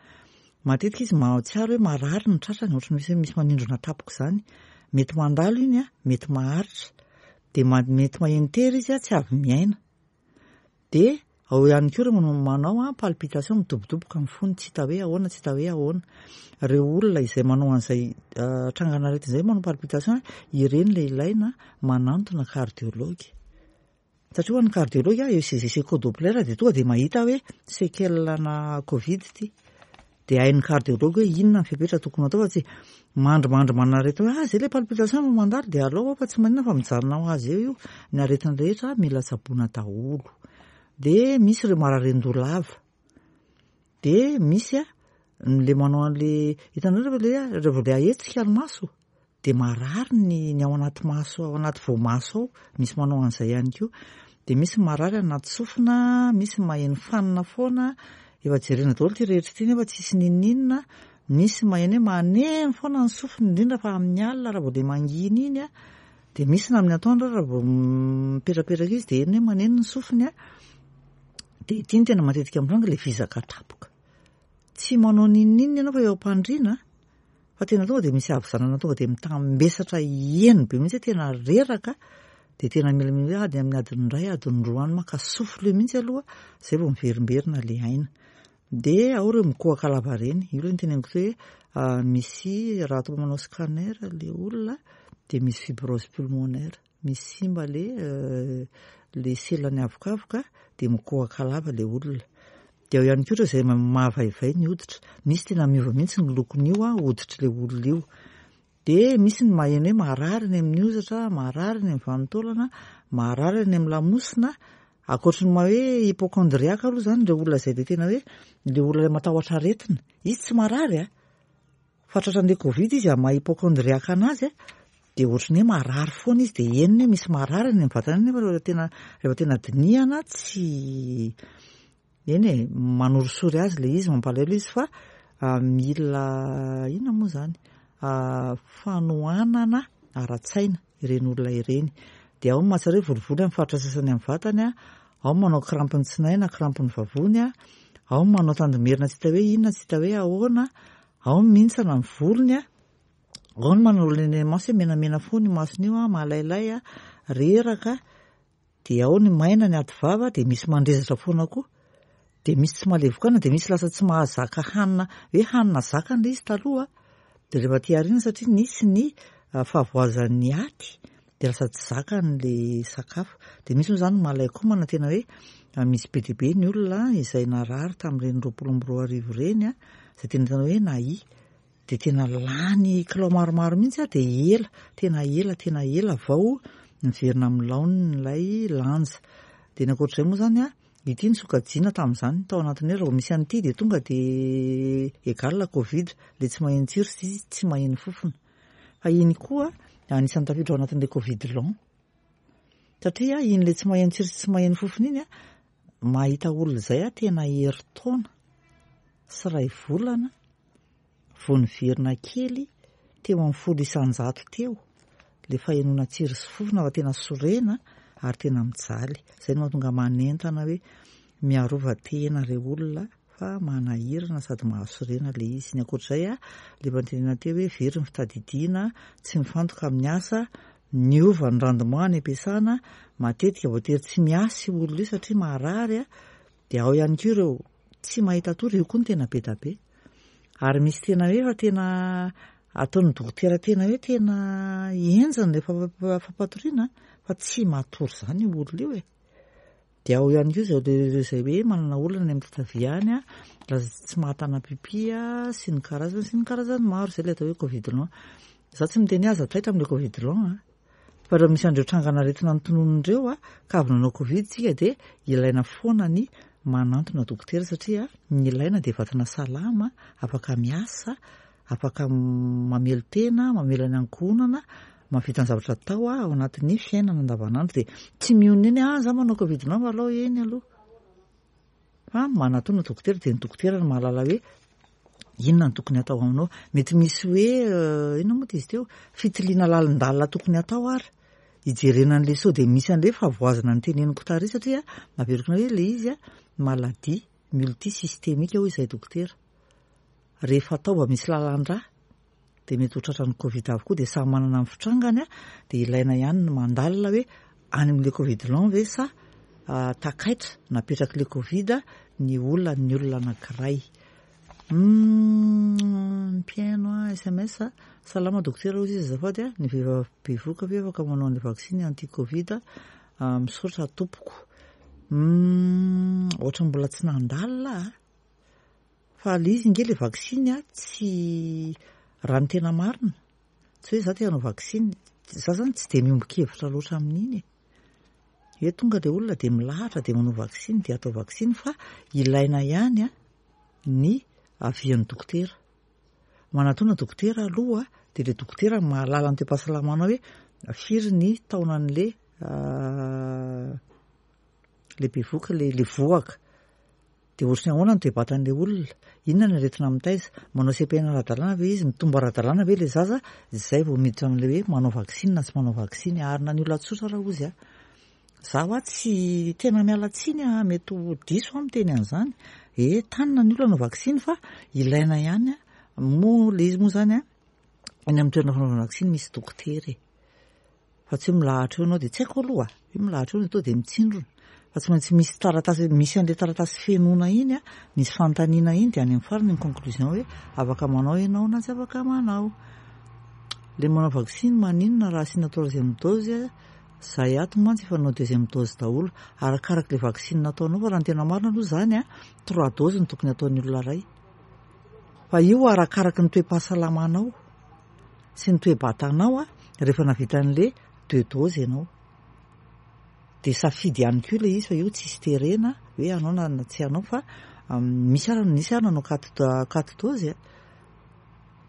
Speaker 1: Matetika izy mahatsiaro hoe marary ny tratrany, ohatran'ny misy misy manindrona tampoka izany. Mety mandalo iny, mety maharitra. Dia mety maheno tery izy, tsy avy miaina. Dia ao ihany koa ireo manao palpitation, midobodoboka amin'ny fony, tsy hita hoe ahoana, tsy hita hoe ahoana. Ireo olona izay manao an'izay trangan'aretina izay manao palpitation, ireny ilay ilaina manantona cardiologue. Satria ho an'ny cardiologue, E C G sy écho-doppler dia tonga dia mahita hoe séquelle-na Covid ity. Dia hain'ny cardiologue hoe inona ny fepetra tokony atao fa tsy mandrimandry manana aretina hoe ah zay ilay palpitation no mandalo dia alao fa tsy maninona fa mijanona ho azy eo io. Ny aretina rehetra mila tsaboina daholo. Dia misy ireo mararen-doha lava. Dia misy a le manao an'le hitanareo rehefa le rehefa le ahetsika ny maso dia marary ny ny ao anaty maso, ao anaty voamaso ao, misy manao an'izay ihany koa. Dia misy marary anaty sofina, misy maheno fanina foana, efa jerena daholo ity rehetra ity nefa tsisy n'inon'inona. Misy maheno hoe maneno foana ny sofiny, indrindra fa amin'ny alina raha vao le mangina iny a. Dia misy na amin'ny atoandro raha vao mipetrapetraka izy dia heno hoe maneno ny sofiny a. Dia ity no tena matetika mitranga, ilay vizaka tampoka. Tsy manao n'inon'inona ianao fa eo am-pandriana, fa tena tonga dia misy havizanana tonga dia mitambesatra heno be mihitsy hoe tena reraka, dia tena mila mila hoe ady amin'ny adiny iray, adiny roa any maka souffle mihitsy aloha, izay vao miverimberina ilay aina. Dia ao ireo mikohaka lava ireny, io ilay noteneniko hoe misy raha atao manao scanner ilay olona dia misy fibrose pulmonaire, misy simba le le selany avokavoka dia mikohaka lava ilay olona. Dia ao ihany koa ireo izay mahavaivay ny hoditra, misy tena miova mihitsy ny lokon'io hoditr'ilay olona io. Dia misy ny maheno hoe marary ny amin'ny hozatra, marary ny amin'ny vanin-taolana, marary ny amin'ny lamosina. Ankoatry ny maha hoe hypocondriaque aloha izany ireo olona izay dia tena hoe ilay olona ilay matahotra aretina, izy tsy marary a, fa tratran'ilay Covid izy amin'ny maha hypocondriaque anazy a, dia ohatran'ny hoe marary foana izy, dia henony hoe misy marary any amin'ny vatany nefa rehefa tena rehefa tena dinihana tsy eny e, manorisory azy ilay izy, mampalahelo izy fa mila inona moa izany, fanohanana ara-tsaina ireny olona ireny. Dia ao ny mahatsiaro hoe volivoly amin'ny faritra sasany amin'ny vatany, ao ny manao crampe ny tsinay na crampe ny vavony, ao ny manao tandimerina tsy hita hoe inona, tsy hita hoe ahoana, ao ny mihintsana ny volony, ao ny manao ny maso hoe menamena foana io masony io, malailay, reraka, dia ao ny maina ny ady vava, dia misy mandrezatra foana koa. Dia misy tsy mahalevoka, dia misy lasa tsy mahazaka hanina, hoe hanina zakany ilay izy taloha, dia rehefa aty aoriana satria nisy ny fahavoazan'ny aty, dia lasa tsy zakany ilay sakafo. Dia misy moa izany malai-komana, tena hoe misy be dia be ny olona izay narary tamin'ireny roapolo amby roa arivo ireny, izay tena tena hoe nahia. Dia tena lany kilao maromaro mihitsy dia ela, tena ela, tena ela vao miverina amin'ny laoniny ilay lanja. Dia ny ankoatr'izay moa izany a, ity ny sokajiana tamin'izany tao anatin'ny hoe raha vao misy an'ity dia tonga dia égal Covid, ilay tsy maheno tsiro sy tsy maheno fofona. Fa iny koa anisan'ny tafiditra ao anatin'ilay Covid long. Satria iny ilay tsy maheno tsiro sy tsy maheno fofona iny a, mahita olona izay a tena herintaona sy iray volana vao niverina kely teo amin'ny folo isan-jato teo ilay fahenoana tsiro sy fofona fa tena sorena ary tena mijaly. Izay no mahatonga manentana hoe miarova tena ireo olona fa manahirana sady mahasorena ilay izy. Ny ankoatr'izay a, ilay efa notenenina teo hoe very ny fitadidiana, tsy mifantoka amin'ny asa, miova ny rendement any am-piasana, matetika voatery tsy miasa io olona io satria marary a, dia ao ihany koa ireo tsy mahita tory, io koa no tena be dia be. Ary misy tena hoe efa tena ataon'ny dokotera tena hoe tena henjana ilay fampatoriana fa tsy matory izany io olona io e. Dia ao ihany koa izao ireo izay hoe manana olana any amin'ny tatavia any a, laza tsy mahatana pipi a, sy ny karazany sy ny karazany maro, izay ilay atao hoe covid long. Izaho tsy miteny hoe aza taitra amin'ilay covid long a, fa raha misy an'ireo trangan'aretina notononina ireo a, ka avy nanao covid tsika dia ilaina foana ny manantona dokotera satria ny ilaina dia vatana salama, afaka miasa, afaka mamelon-tena, mamela ny ankohonana, mahavita ny zavatra atao ao anatin'ny fiainana andavanandro. Dia tsy mionona eny ah za manao covid long fa alao eny aloha, fa manatona dokotera dia ny dokotera no mahalala hoe inona no tokony atao aminao. Mety misy hoe inona moa izy teo, fitiliana lalindalina tokony atao ary hijerena an'ilay sao dia misy an'ilay fahavoazana ny teneniko tary satria averiko hoe ilay izy a maladie multisystémique hoy izay dokotera. Rehefa atao mba misy lalan-drà dia mety ho tratran'ny covid avokoa, dia samy manana ny fitrangany a, dia ilaina ihany ny mandalina hoe any amin'ilay covid long ve sa takaitra napetrak'ilay covid ny olona ny olona anankiray. Mpihaino a S M S, salama dokotera hoy izy, azafady a, ny vehivavy bevohoka ve afaka manao an'ilay vaksiny anti covid? Misaotra tompoko. Ohatra mbola tsy nandalina a, fa le izy nge le vaksiny a, tsy raha ny tena marina tsy hoe za te hanao vaksiny, za zany tsy de miombon-kevitra loatra amin'iny e, hoe tonga le olona de milahatra de manao vaksiny de atao vaksiny, fa ilaina ihany a ny avian'ny dokotera. Manatona dokotera aloha de le dokotera mahalala ny toe-pahasalamanao hoe firy ny taonan'le le bevohoka, le le vohoka, de ohatry ny ahoana ny toe-batan'le olona, inona ny aretina mitaiza, manao C P N ara-dalàna ve izy, mitombo ara-dalàna ve le zaza, zay vao miditra amin'le hoe manao vaksiny na tsy manao vaksiny. Ary na ny olona tsotra raha ozy a, za hoa tsy tena miala tsiny a, mety ho diso aho miteny an'izany, e tanina ny olona hanao vaksiny fa ilaina ihany a moa le izy moa zany a, any amin'ny toerana fanaovana vaksiny misy dokotera e, fa tsy hoe milahatra eo ianao de tsy haiko aloha hoe milahatra eo atao de mitsindrona, fa tsy maintsy misy taratasy, misy an'le taratasy fenoina iny a, misy fanontaniana iny, de any amin'ny farany ny conclusion hoe afaka manao ianao na tsy afaka manao. Le manao vaksiny maninona raha asiana troisième dose? Zay ato mantsy efa nanao deuxième dose daholo. Arakarak'le vaksiny nataonao, fa raha ny tena marina aloha zany a, trois doses no tokony ataon'ny olona ray, fa io arakaraky ny toe-pahasalamanao sy ny toe-batanao a. Rehefa navita an'le deux doses ianao de safidy ihany koa le izy, fa io tsisy terena hoe anao na tsy anao, fa misy ara nisy ary nanao quatre quatre doses a.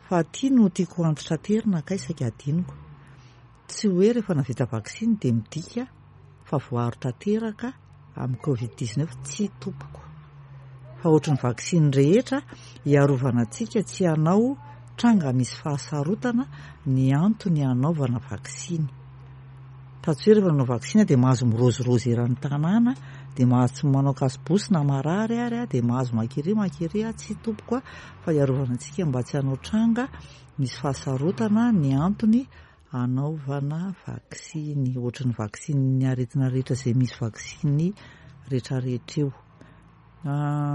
Speaker 1: Fa ty no tiako antitraterina kay saika adinoko, tsy hoe rehefa navita vaksiny de midika fa voaro tanteraka amin'ny covid dix-neuf, tsy tompoko, fa ohatry ny vaksiny rehetra hiarovana antsika tsy hanao tranga misy fahasarotana ny antony hanaovana vaksiny, fa tsy hoe rehefa nanao vaksiny de mahazo mirozirozy eran'ny tanàna, de mahazo tsy manao cache-bouche na marary ary a, de mahazo makery makery a, tsy tompoko a, fa hiarovana antsika mba tsy hanao tranga misy fahasarotana ny antony hanaovana vaksiny, ohatry ny vaksiny ny aretina rehetra izay misy vaksiny rehetrarehetra io.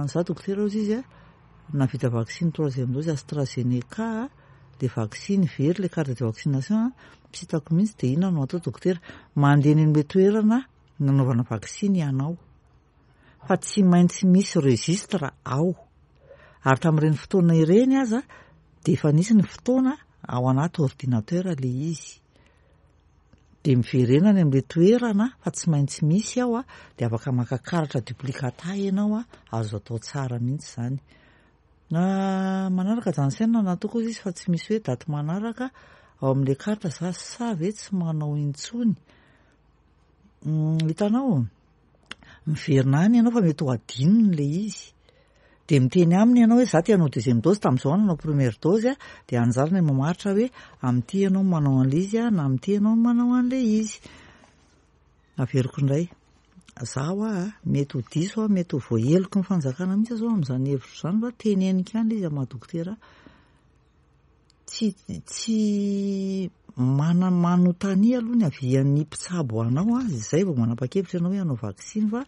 Speaker 1: Za dokotera ozy izy a, navita vaksiny troisième dose AstraZeneca, le vaksiny very le carte de vaccination tsy hitako mihitsy, de inona no atao dokotera? Mandeha eny amin'le toerana nanaovana vaksiny ianao, fa tsy maintsy misy registre ao, ary tamin'ireny fotoana ireny aza de efa nisy ny fotoana ao anaty ordinateur le izy, de miverena any amin'le toerana fa tsy maintsy misy ao a, de afaka maka karatra duplicata ianao a, azo atao tsara mihitsy zany. Manaraka Janssen nataoko izy fa tsy misy hoe daty manaraka ao amin'le carte, za sa ve tsy manao intsony? Hitanao, miverina any ianao fa mety ho adinony le izy, de miteny aminy ianao hoe za te hanao deuxième dose, tamin'izao aho nanao première dose a, de anjarany mamaritra hoe amin'ity ianao manao an'le izy a na amin'ity ianao manao an'le izy. Averiko indray, Zaho a, mety ho diso aho, mety ho voaheloky ny fanjakana mihitsy zao amin'izany hevitro izany, fa teneniko ihany ilay izy amin'ny maha dokotera. Tsy tsy mana manontania aloha ny avian'ny mpitsabo anao a, izay vao manapa-kevitra ianao hoe hanao vaksiny, fa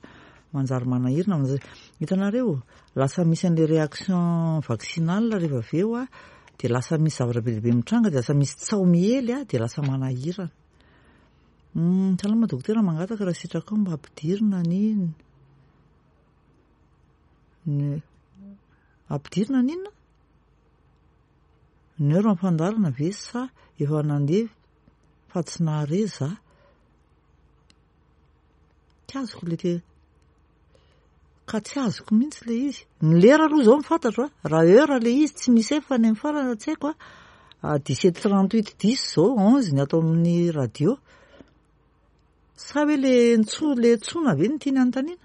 Speaker 1: manjary manahirana, manjary hitanareo lasa misy an'ilay réaction vaccinale rehefa avy eo a, dia lasa misy zavatra be dia be mitranga, dia lasa misy tsaho miely a, dia lasa manahirana. Salama dokotera, mangataka raha sitrakao mba ampidirina ny ny ampidirina ny inona? Ny heure amin'ny fandaharana ve sa efa nandeha fa tsy nahare za? Tsy azoko le te ka tsy azoko mihitsy le izy. Ny lera aloha zao no fantatro a, raha heure le izy tsy misy fa ny amin'ny farany tsy haiko a, dix-sept trente-huit dix zao onze ny ato amin'ny radio. Sa hoe le ntso le ntsona ve no tiany anontaniana?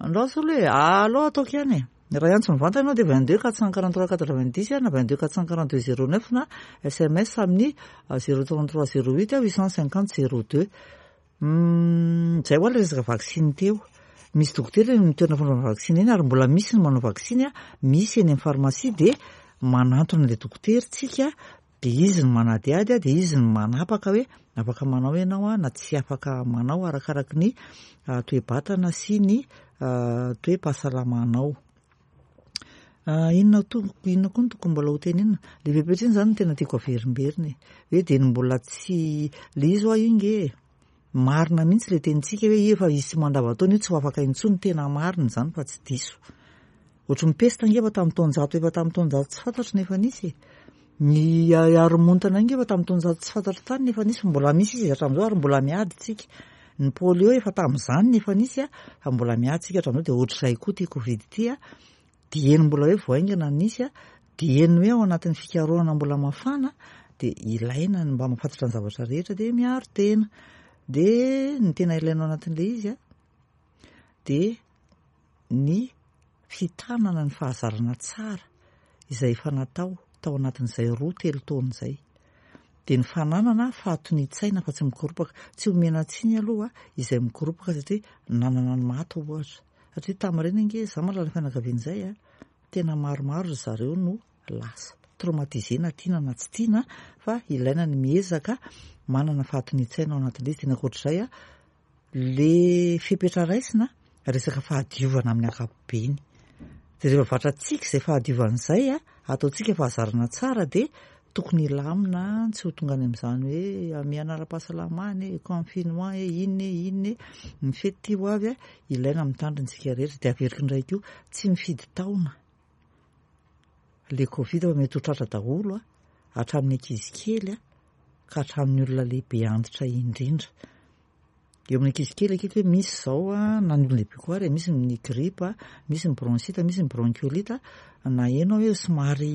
Speaker 1: Andraso aloha e, aleo ataoko ihany e. Raha hiantso mivantana ianao dia vingt-deux quatre cent quarante-trois quatre-vingt-dix na vingt-deux quatre cent quarante-deux zéro neuf na S M S amin'ny zéro trente-trois zéro huit huit cent cinquante zéro deux. Zay ho ahy ilay resaka vaksiny teo. Misy dokotera eny amin'ny toerana fanaovana vaksiny eny ary mbola misy ny manao vaksiny a, misy eny amin'ny farmasia dia manantona ilay dokotera tsika, dia izy no manadihady, dia izy no manapaka hoe afaka manao ianao a na tsy afaka manao arakaraky ny toe-batana sy ny toe-pahasalamanao. Inona to-, inona koa no tokony mbola ho tenenina? Le fepetra iny zany no tena tiako averimberina e. Hoe dia ny mbola tsy le izy hoa io nge e. Marina mihitsy le tenintsika hoe efa hisy mandavantaona io tsy ho afaka intsony, tena marina izany fa tsy diso. Ohatry ny pesta nge efa tamin'ny taonjato, efa tamin'ny taonjato tsy fantatro nefa nisy e. Ny haromontana nge efa tamin'ny taonjato tsy fantatro tany nefa nisy, mbola misy izy hatramin'izao ary mbola miady tsika. Ny polio efa tamin'izany nefa nisy a, fa mbola miady tsika hatramin'izao, dia ohatr'izay koa ity Covid ity a. Dieny mbola hoe vao haingana nisy a, dieny hoe ao anatin'ny fikarohana mbola mafana, dia ilaina ny mba mahafantatra ny zavatra rehetra, dia miaro tena. Dia ny tena ilaina ao anatin'ilay izy a, dia ny fitanana ny fahazarana tsara izay efa natao tao anatin'izay roa telo taona izay. Dia ny fananana fahatonian-tsaina fa tsy mikoropaka. Tsy omena tsiny aloha izay mikoropaka satria nanana ny maty ohatra. Satria tamin'ireny ange, za mahalala ny fianakaviana izay a, tena maromaro ry zareo no lasa. Traumatisé na tiana na tsy tiana, fa ilaina ny miezaka manana fahatonian-tsaina ao anatin'ilay izy. Tena ankoatr'izay a, le fepetra raisina resaka fahadiovana amin'ny ankapobeny. Dia rehefa vatrantsika izay fahadiovana izay a, ataontsika fahazarana tsara, dia tokony hilamina, tsy ho tonga any amin'izany hoe hamehana ara-pahasalamana e, confinement e, inona e, inona e. Ny fety ty ho avy a, ilaina mitandrina isika rehetra. Dia averiko indray koa, tsy mifidy taona le Covid fa mety ho tratra daholo a, hatramin'ny ankizy kely a, ka hatramin'ny olona lehibe antitra indrindra. Eo amin'ny ankizy kely akaiky hoe misy izao a, na ny olona lehibe koa ary, misy ny grippe, misy ny bronchite, misy ny bronchiolite, na heno hoe somary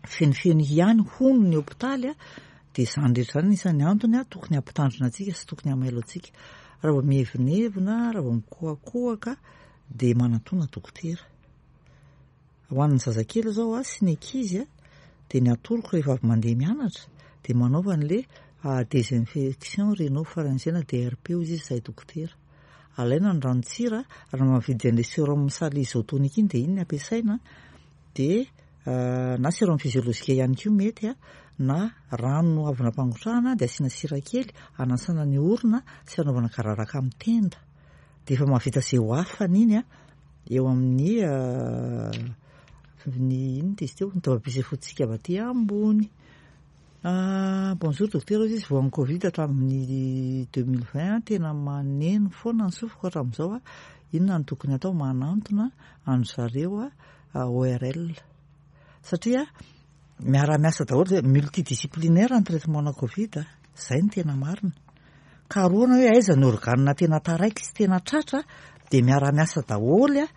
Speaker 1: fenofeno ihany hono ny hopitaly a, dia izany rehetra izany isan'ny antony a, tokony hampitandrina antsika sy tokony hamailo antsika. Raha vao mievinevina, raha vao mikohakohaka, dia manatona dokotera. Ho an'ny zazakely izao a, sy ny ankizy a, dia ny atoroko rehefa avy mandeha mianatra, dia manaova an'ilay désinfection rhinopharyngienne na D R P hoy izy izay dokotera. Alaina ny ranon-tsira, raha mahavidy an'ilay sérum sali isotonique iny dia iny no ampiasaina, dia na sérum physiologique ihany koa mety a, na rano avy nampangotrahana dia asiana sira kely hanasana ny orona sy hanaovana gararaka amin'ny tenda. Dia efa mahavita izay ho afany iny a, eo amin'ny ny inona izy teo, ny taovam-pisefoantsika avy aty ambony. Ah, bonjour docteur, izy voan'ny Covid hatramin'ny deux mille vingt, tena maneno foana ny sofiko hatramin'izao a. Inona no tokony atao? Manantona an-dry zareo a, O R L. Satria miara-miasa daholo, zay multidisciplinaire ny traitement na Covid a, zay no tena marina. Karohana hoe aiza ny organe tena taraiky sy tena tratra, dia miara-miasa daholo a,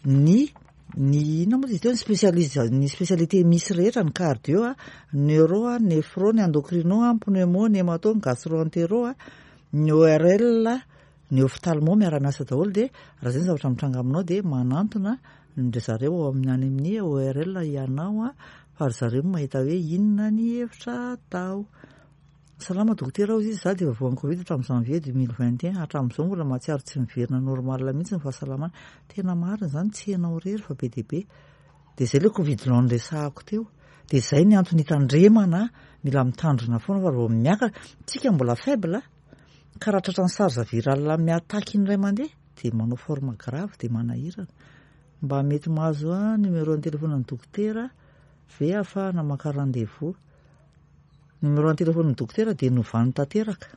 Speaker 1: ny, ny inona moa izy teo, ny spécialiste, ny spécialité misy rehetra, ny cardio a, neuro a, néphro, ny endocrino a, pneumo, ny hémato, ny gastro-entero a, ny O R L, ny ophtalmo miara-miasa daholo. Dia raha zay ny zavatra mitranga aminao dia manantona ny ry zareo ao amin'ny any amin'ny O R L ianao a, fa ry zareo no mahita hoe inona ny hevitra atao. Salama dokotera hozy izy, za dia efa voan'ny Covid tamin'ny janvier deux mille vingt et un, hatramin'izao mbola mahatsiaro tsy miverina normal mihitsy ny fahasalamana. Tena marina izany, tsy ianao irery fa be dia be. Dia izay ilay Covid long noresahako teo. Dia izay ny antony hitandremana, mila mitandrina foana fa raha vao miakatra, tsika mbola faible, ka raha tratran'ny SARS viral miataky indray mandeha dia manao forme grave dia manahirana. Mba mety mahazo a numéro ny telefonan'ny dokotera ve ahafahana maka rendez-vous? Numéro ny telefonan'ny dokotera dia novany tanteraka.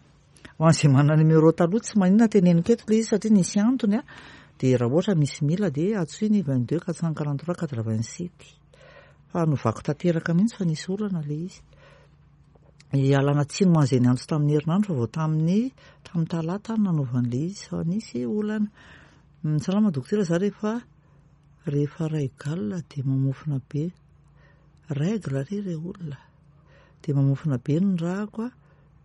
Speaker 1: Ho an'izay manana numéro taloha tsy maninona teneniko eto ilay izy satria nisy antony a. Dia raha ohatra misy mila dia antsoy ny vingt-deux quatre cent quarante-trois quatre-vingt-sept. Fa novako tanteraka mihitsy fa nisy olana ilay izy. Ialana tsiny ho an'izay niantso tamin'ny herinandro fa vao tamin'ny tamin'ny talata no nanaovan'ilay izy fa nisy olana. Salama dokotera, za rehefa rehefa ray galona dia mamofona be. Règle re re olona. Dia mamofona be ny rako a.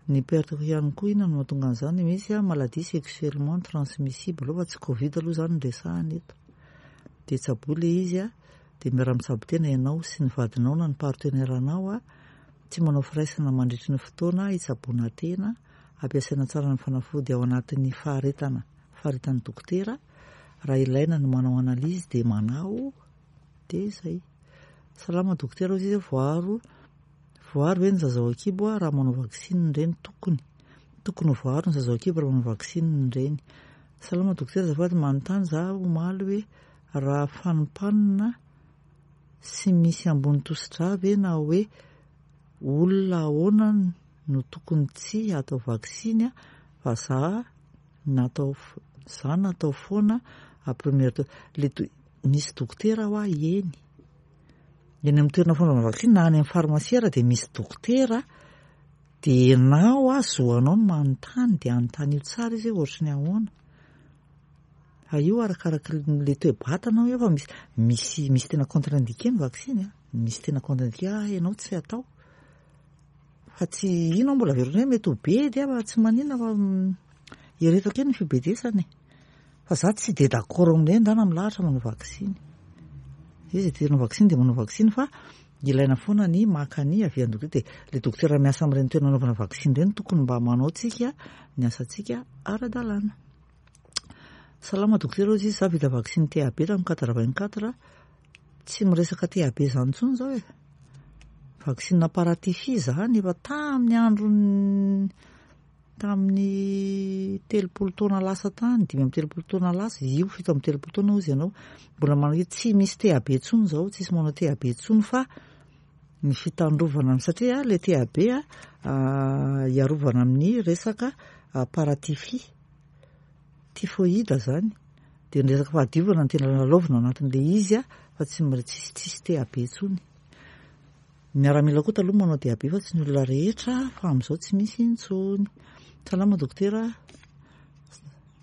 Speaker 1: Ny perte-ko ihany koa inona no mahatonga an'izany? Misy a maladie sexuellement transmissible fa tsy Covid aloha izany no resahana eto. Dia tsaboy ilay izy a, dia miara-mitsabo tena ianao sy ny vadinao na ny partenaire-nao a. Tsy manao firaisana mandritry ny fotoana hitsaboana tena, ampiasaina tsara ny fanafody ao anatin'ny faharetana, faharetan'ny dokotera. Raha ilaina ny manao analyse dia manao, dia izay. Salama dokotera hozy izy, voaro voaro ve ny zaza ao an-kibo a raha manao vaksiny ny reny? Tokony tokony ho voaro ny zaza ao an-kibo raha manao vaksiny ny reny. Salama dokotera, azafady manontany za omaly hoe raha fanimpanina sy misy ambony tosi-drà ve na hoe olona ahoana no tokony tsy atao vaksiny a, fa za natao za natao foana à première dose. Le do- misy dokotera hoa eny eny amin'ny toerana fanaovana vaksiny na any amin'ny farmasia ary dia misy dokotera, dia ianao a zoanao no manontany dia anontany io tsara izy hoe ohatry ny ahoana. Fa io arakaraky le toe-batana io fa misy misy misy tena contre-indiqué ny vaksiny a, misy tena contre-indiqué ah ianao tsy atao. Fa tsy ino mbola averina hoe mety ho bedy a fa tsy maninona fa eretako eny ny fibedesana e. Fa za tsy de d'accord amin'ireny ndana milahatra manao vaksiny. Izy te hanao vaksiny dia manao vaksiny fa ilaina foana ny maka ny avy amin'ny dokotera. Dia le dokotera miasa amin'ireny toerana anaovana vaksiny ireny tokony mba manao tsika ny asantsika ara-dalàna. Salama dokotera hozy izy, za vita vaksiny T A B tamin'ny quatre-vingt-quatre, tsy miresaka T A B izany intsony izao e. Vaksiny paratyphie izany efa tamin'ny andron'ny tamin'ny telopolo taona lasa tany, dimy amby telopolo taona lasa, io fito amby telopolo taona hozy ianao. Mbola manao hoe tsy misy T A B intsony izao, tsisy manao T A B intsony fa ny fitandrovana satria le T A B a, hiarovana amin'ny resaka paratyphie, typhoïde zany. Dia ny resaka fahadiovana no tena lalaovina anatin'ilay izy a, fa tsy mbola tsisy, tsisy T A B intsony. Ny miaramila koa taloha manao T A B fa tsy ny olona rehetra, fa amin'izao tsy misy intsony. Salama dokotera,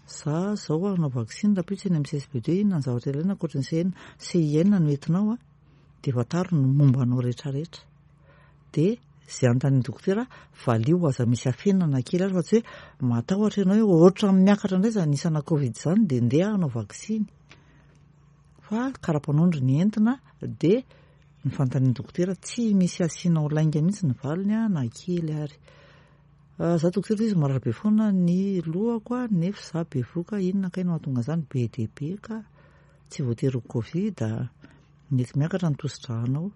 Speaker 1: za zao hanao vaksiny rahampitso eny amin'ny C S B deux, inona ny zavatra ilaina ankoatra ny C N? C I N no entinao a, dia fantaro ny momba anao rehetrarehetra. Dia izay anontanian'ny dokotera valio, aza misy afenina na kely ary fa tsy hoe matahotra ianao hoe ohatra miakatra indray izany isana Covid izany dia ndeha hanao vaksiny. Fa karapanondro ny entina dia ny fanontanian'ny dokotera tsy misy asianao lainga mihitsy ny valiny a, na kely ary. Za dokotera izy marary be foana ny lohako a, nefa za bevoka, inona kay no mahatonga an'izany? Be dia be ka, tsy voatery ho Covid a. Mety miakatra ny tosi-drànao,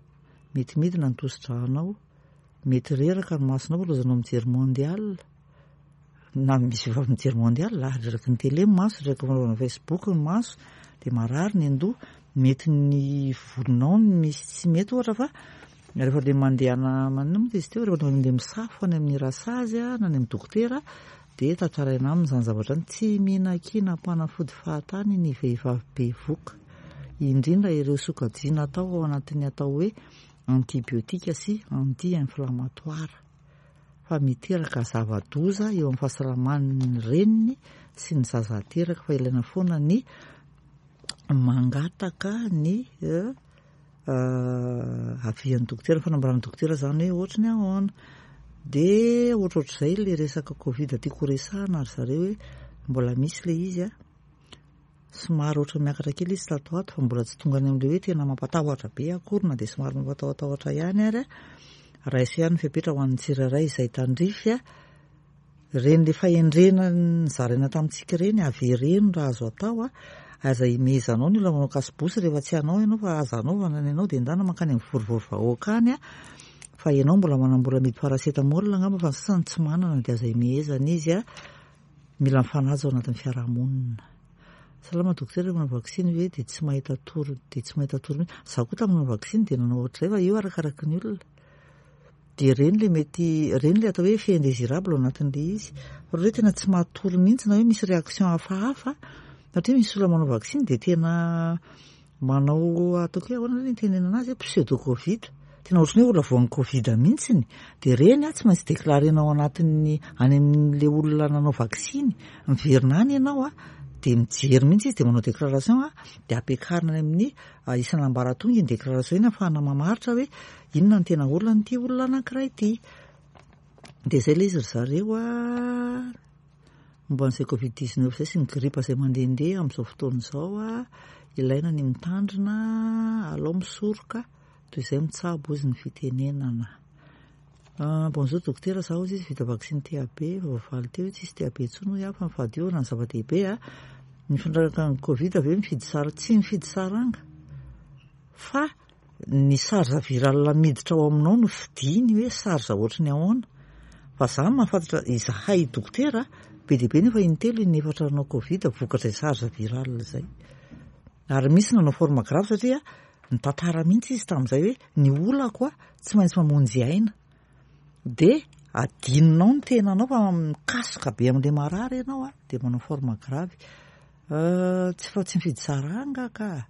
Speaker 1: mety midina ny tosi-drànao, mety reraka ny masonao fa lozanao mijery mondial. Na misy vehivavy mijery mondial, reraky ny télé ny maso, reraky ny fanaovana Facebook ny maso, dia marary ny andoha, mety ny volonao no misy tsy mety ohatra fa rehefa le mandeha ana manina moa izy teo, rehefa mandeha misafo any amin'ny rasazy a, na any amin'ny dokotera, dia tantaraina aminy izany zavatra izany. Tsy mihinan-kena mpanafody fahatany ny vehivavy bevoka, indrindra ireo sokajiana atao ao anatin'ny atao hoe antibiotika sy anti-inflammatoire, fa miteraka zava-doza eo amin'ny fahasalaman'ny reniny sy ny zaza ateraka, fa ilaina foana ny mangataka ny, eh, avian'ny dokotera, fanambaran'ny dokotera izany hoe ohatry ny ahoana. Dia ohatrohatr'izay ilay resaka Covid tiako resahana ry zareo hoe mbola misy ilay izy a, somary ohatry ny miakatra kely izy tato ato fa mbola tsy tonga any amin'ilay hoe tena mampatahotra be akory na dia somary mampatahotahotra ihany ary a. Raiso ihany ny fepetra ho an'ny tsirairay izay tandrify a. Ireny le fahendrena nizaraina tamintsika ireny, avereno raha azo atao a. Aza imehezanao ny olona manao kasibosy rehefa tsy hanao ianao, fa aza anaovana ny anao dia ndana mankany amin'ny vorivory vahoaka any a. Fa ianao mbola manam-bola amidy paracetamol angamba, fa ny sasany tsy manana, dia aza imehezana izy a. Mila mifanaja ao anatin'ny fiarahamonina. Salama dokotera, manao vaksiny ve dia tsy mahita tory, dia tsy mahita tory mihitsy? Izaho koa tamin'ny nanao vaksiny dia nanao ohatr'izay, fa io arakaraky ny olona. Dia ireny le mety, ireny le atao hoe effet indésirable ao anatin'ilay izy. Fa raha hoe tena tsy mahatory mihitsy na hoe misy réaction hafahafa, satria misy olona manao vaksiny dia tena manao, ataoko hoe ahoana ny tenenana azy, pseudo covid, tena ohatran'ny hoe olona voan'ny covid mihitsiny. Dia ireny a tsy maintsy déclarena ao anatin'ny any amin'le olona nanao vaksiny, miverina any ianao a, dia mijery mihitsy izy dia manao déclaration a, dia ampiakarina any amin'ny isan'ambaratonga iny déclaration iny ahafahana mamaritra hoe inona ny tena olona an'ity olona anankiray ity. Dia izay ilay izy ry zareo a, momba an'izay covid dix-neuf izay sy ny gripa izay mandehandeha amin'izao fotoana izao a, ilaina ny mitandrina, alao misoroka toy izay mitsabo izy ny fitenenana. Bonjour dokotera, zaho izy vita vaksiny T A B, efa voavaly teo hoe tsisy T A B intsony hoy aho, fa ny fahadiovana ny zava-dehibe a. Ny fiantraikan'ny covid ve mifidy sary? Tsy mifidy saranga, fa ny charge virale miditra ao aminao no fidiny hoe charge ohatry ny ahoana. Fa za mahafantatra izahay dokotera be dia be nefa intelo inefatra nanao covid vokatra izay charge virale izay. Ary misy nanao forme grave satria nitantara mihitsy izy tamin'izay hoe ny olako a tsy maintsy mamonjy aina. Dia adinonao ny tenanao fa mikasoka be amin'ilay marary ianao a, dia manao forme grave. Tsy fa tsy mifidy saranga ka,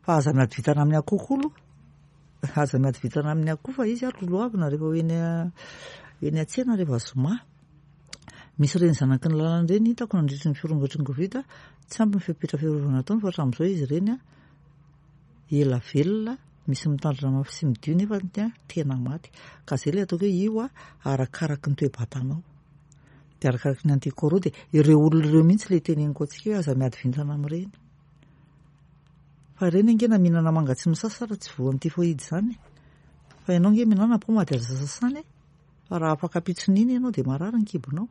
Speaker 1: fa aza miady vintana amin'ny akoho koa aloha. Aza miady vintana amin'ny akoho fa izy ary lolohavina rehefa ho eny eny an-tsena rehefa zoma. Misy ireny zanaky ny lalana ireny hitako nandritry ny firongatry ny covid, tsy ampy ny fepetra fiarovana ataony fa hatramin'izao izy ireny a ela velona, misy mitandrina mafy sy midio nefa tena maty. Ka izay ilay ataoko hoe io a arakaraky ny toe-batanao, dia arakaraky ny anticorps, dia ireo olona ireo mihitsy ilay teneniko antsika hoe aza miady vintana amin'ireny. Fa ireny ange na mihinana manga tsy misasa raha tsy voan'ny typhoïde izany. Fa ianao ange mihinana paoma dia aza sasana e. Fa raha afaka ampitson'iny ianao dia marary ny kibonao.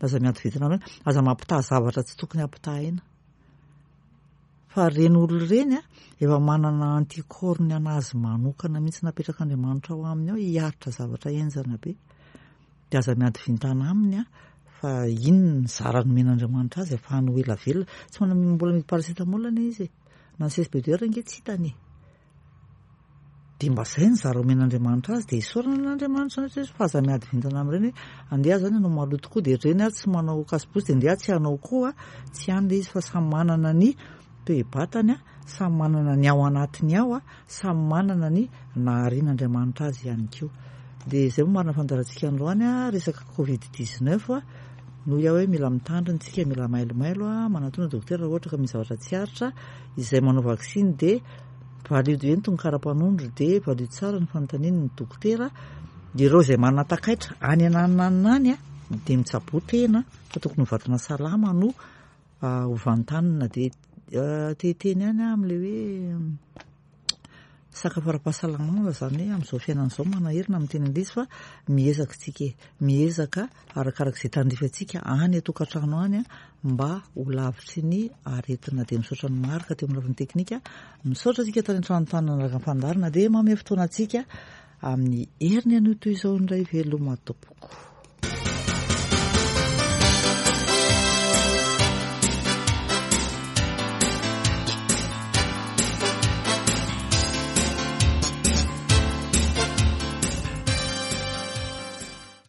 Speaker 1: Aza miady vintana amin'ireny, aza mampitaha zavatra tsy tokony hampitahaina. Fa ireny olona ireny a efa manana anticorps ny anazy manokana mihitsy napetrak'Andriamanitra ao aminy ao hiaritra zavatra henjana be. Dia aza miady vintana aminy a, fa iny ny zara nomen'Andriamanitra azy ahafahany ho ela velona. Tsy manana mbola mividy paracetamol anie izy e. Na ny C S B deux R ange tsy hitany e. Dia mba izay ny zara omen'Andriamanitra azy, dia isaorana an'Andriamanitra izany hoe fa aza miady vintana amin'ireny hoe andeha zany ianao maloto koa, dia ireny aho tsy manao kasibosy dia andeha tsy hanao koa, tsy any ilay izy fa samy manana ny toe-batany a, samy manana ny ao anatiny ao a, samy manana ny naharian'Andriamanitra azy ihany koa. Dia izay moa marina fandaharantsika androany a, resaka covid dix-neuf a, noho iaho hoe mila mitandrina tsika, mila mailomailo a, manatona dokotera raha ohatra ka misy zavatra tsy aritra, izay manao vaksiny dia valio ento ny kara-panondro, dia valio tsara ny fanontaniany ny dokotera. Ireo izay manana takaitra any anananana any a, dia mitsaboa tena fa tokony ho vatana salama no ho vantanina. Dia teteny ihany aho amin'ilay hoe sakafo ara-pahasalamana izany hoe amin'izao fiainana izao manaherina amin'ny teny anglisy, fa miezaka tsika e, miezaka arakarak'izay tandrify antsika any an-tokantrano any a, mba ho lavitry ny aretina. Dia misaotra ny Marc teo amin'ny lafiny teknika, misaotra antsika tany an-trano tany nanaraka ny fandaharana, dia mamehy fotoana antsika amin'ny heriny anio toy izao indray. Veloma tompoko.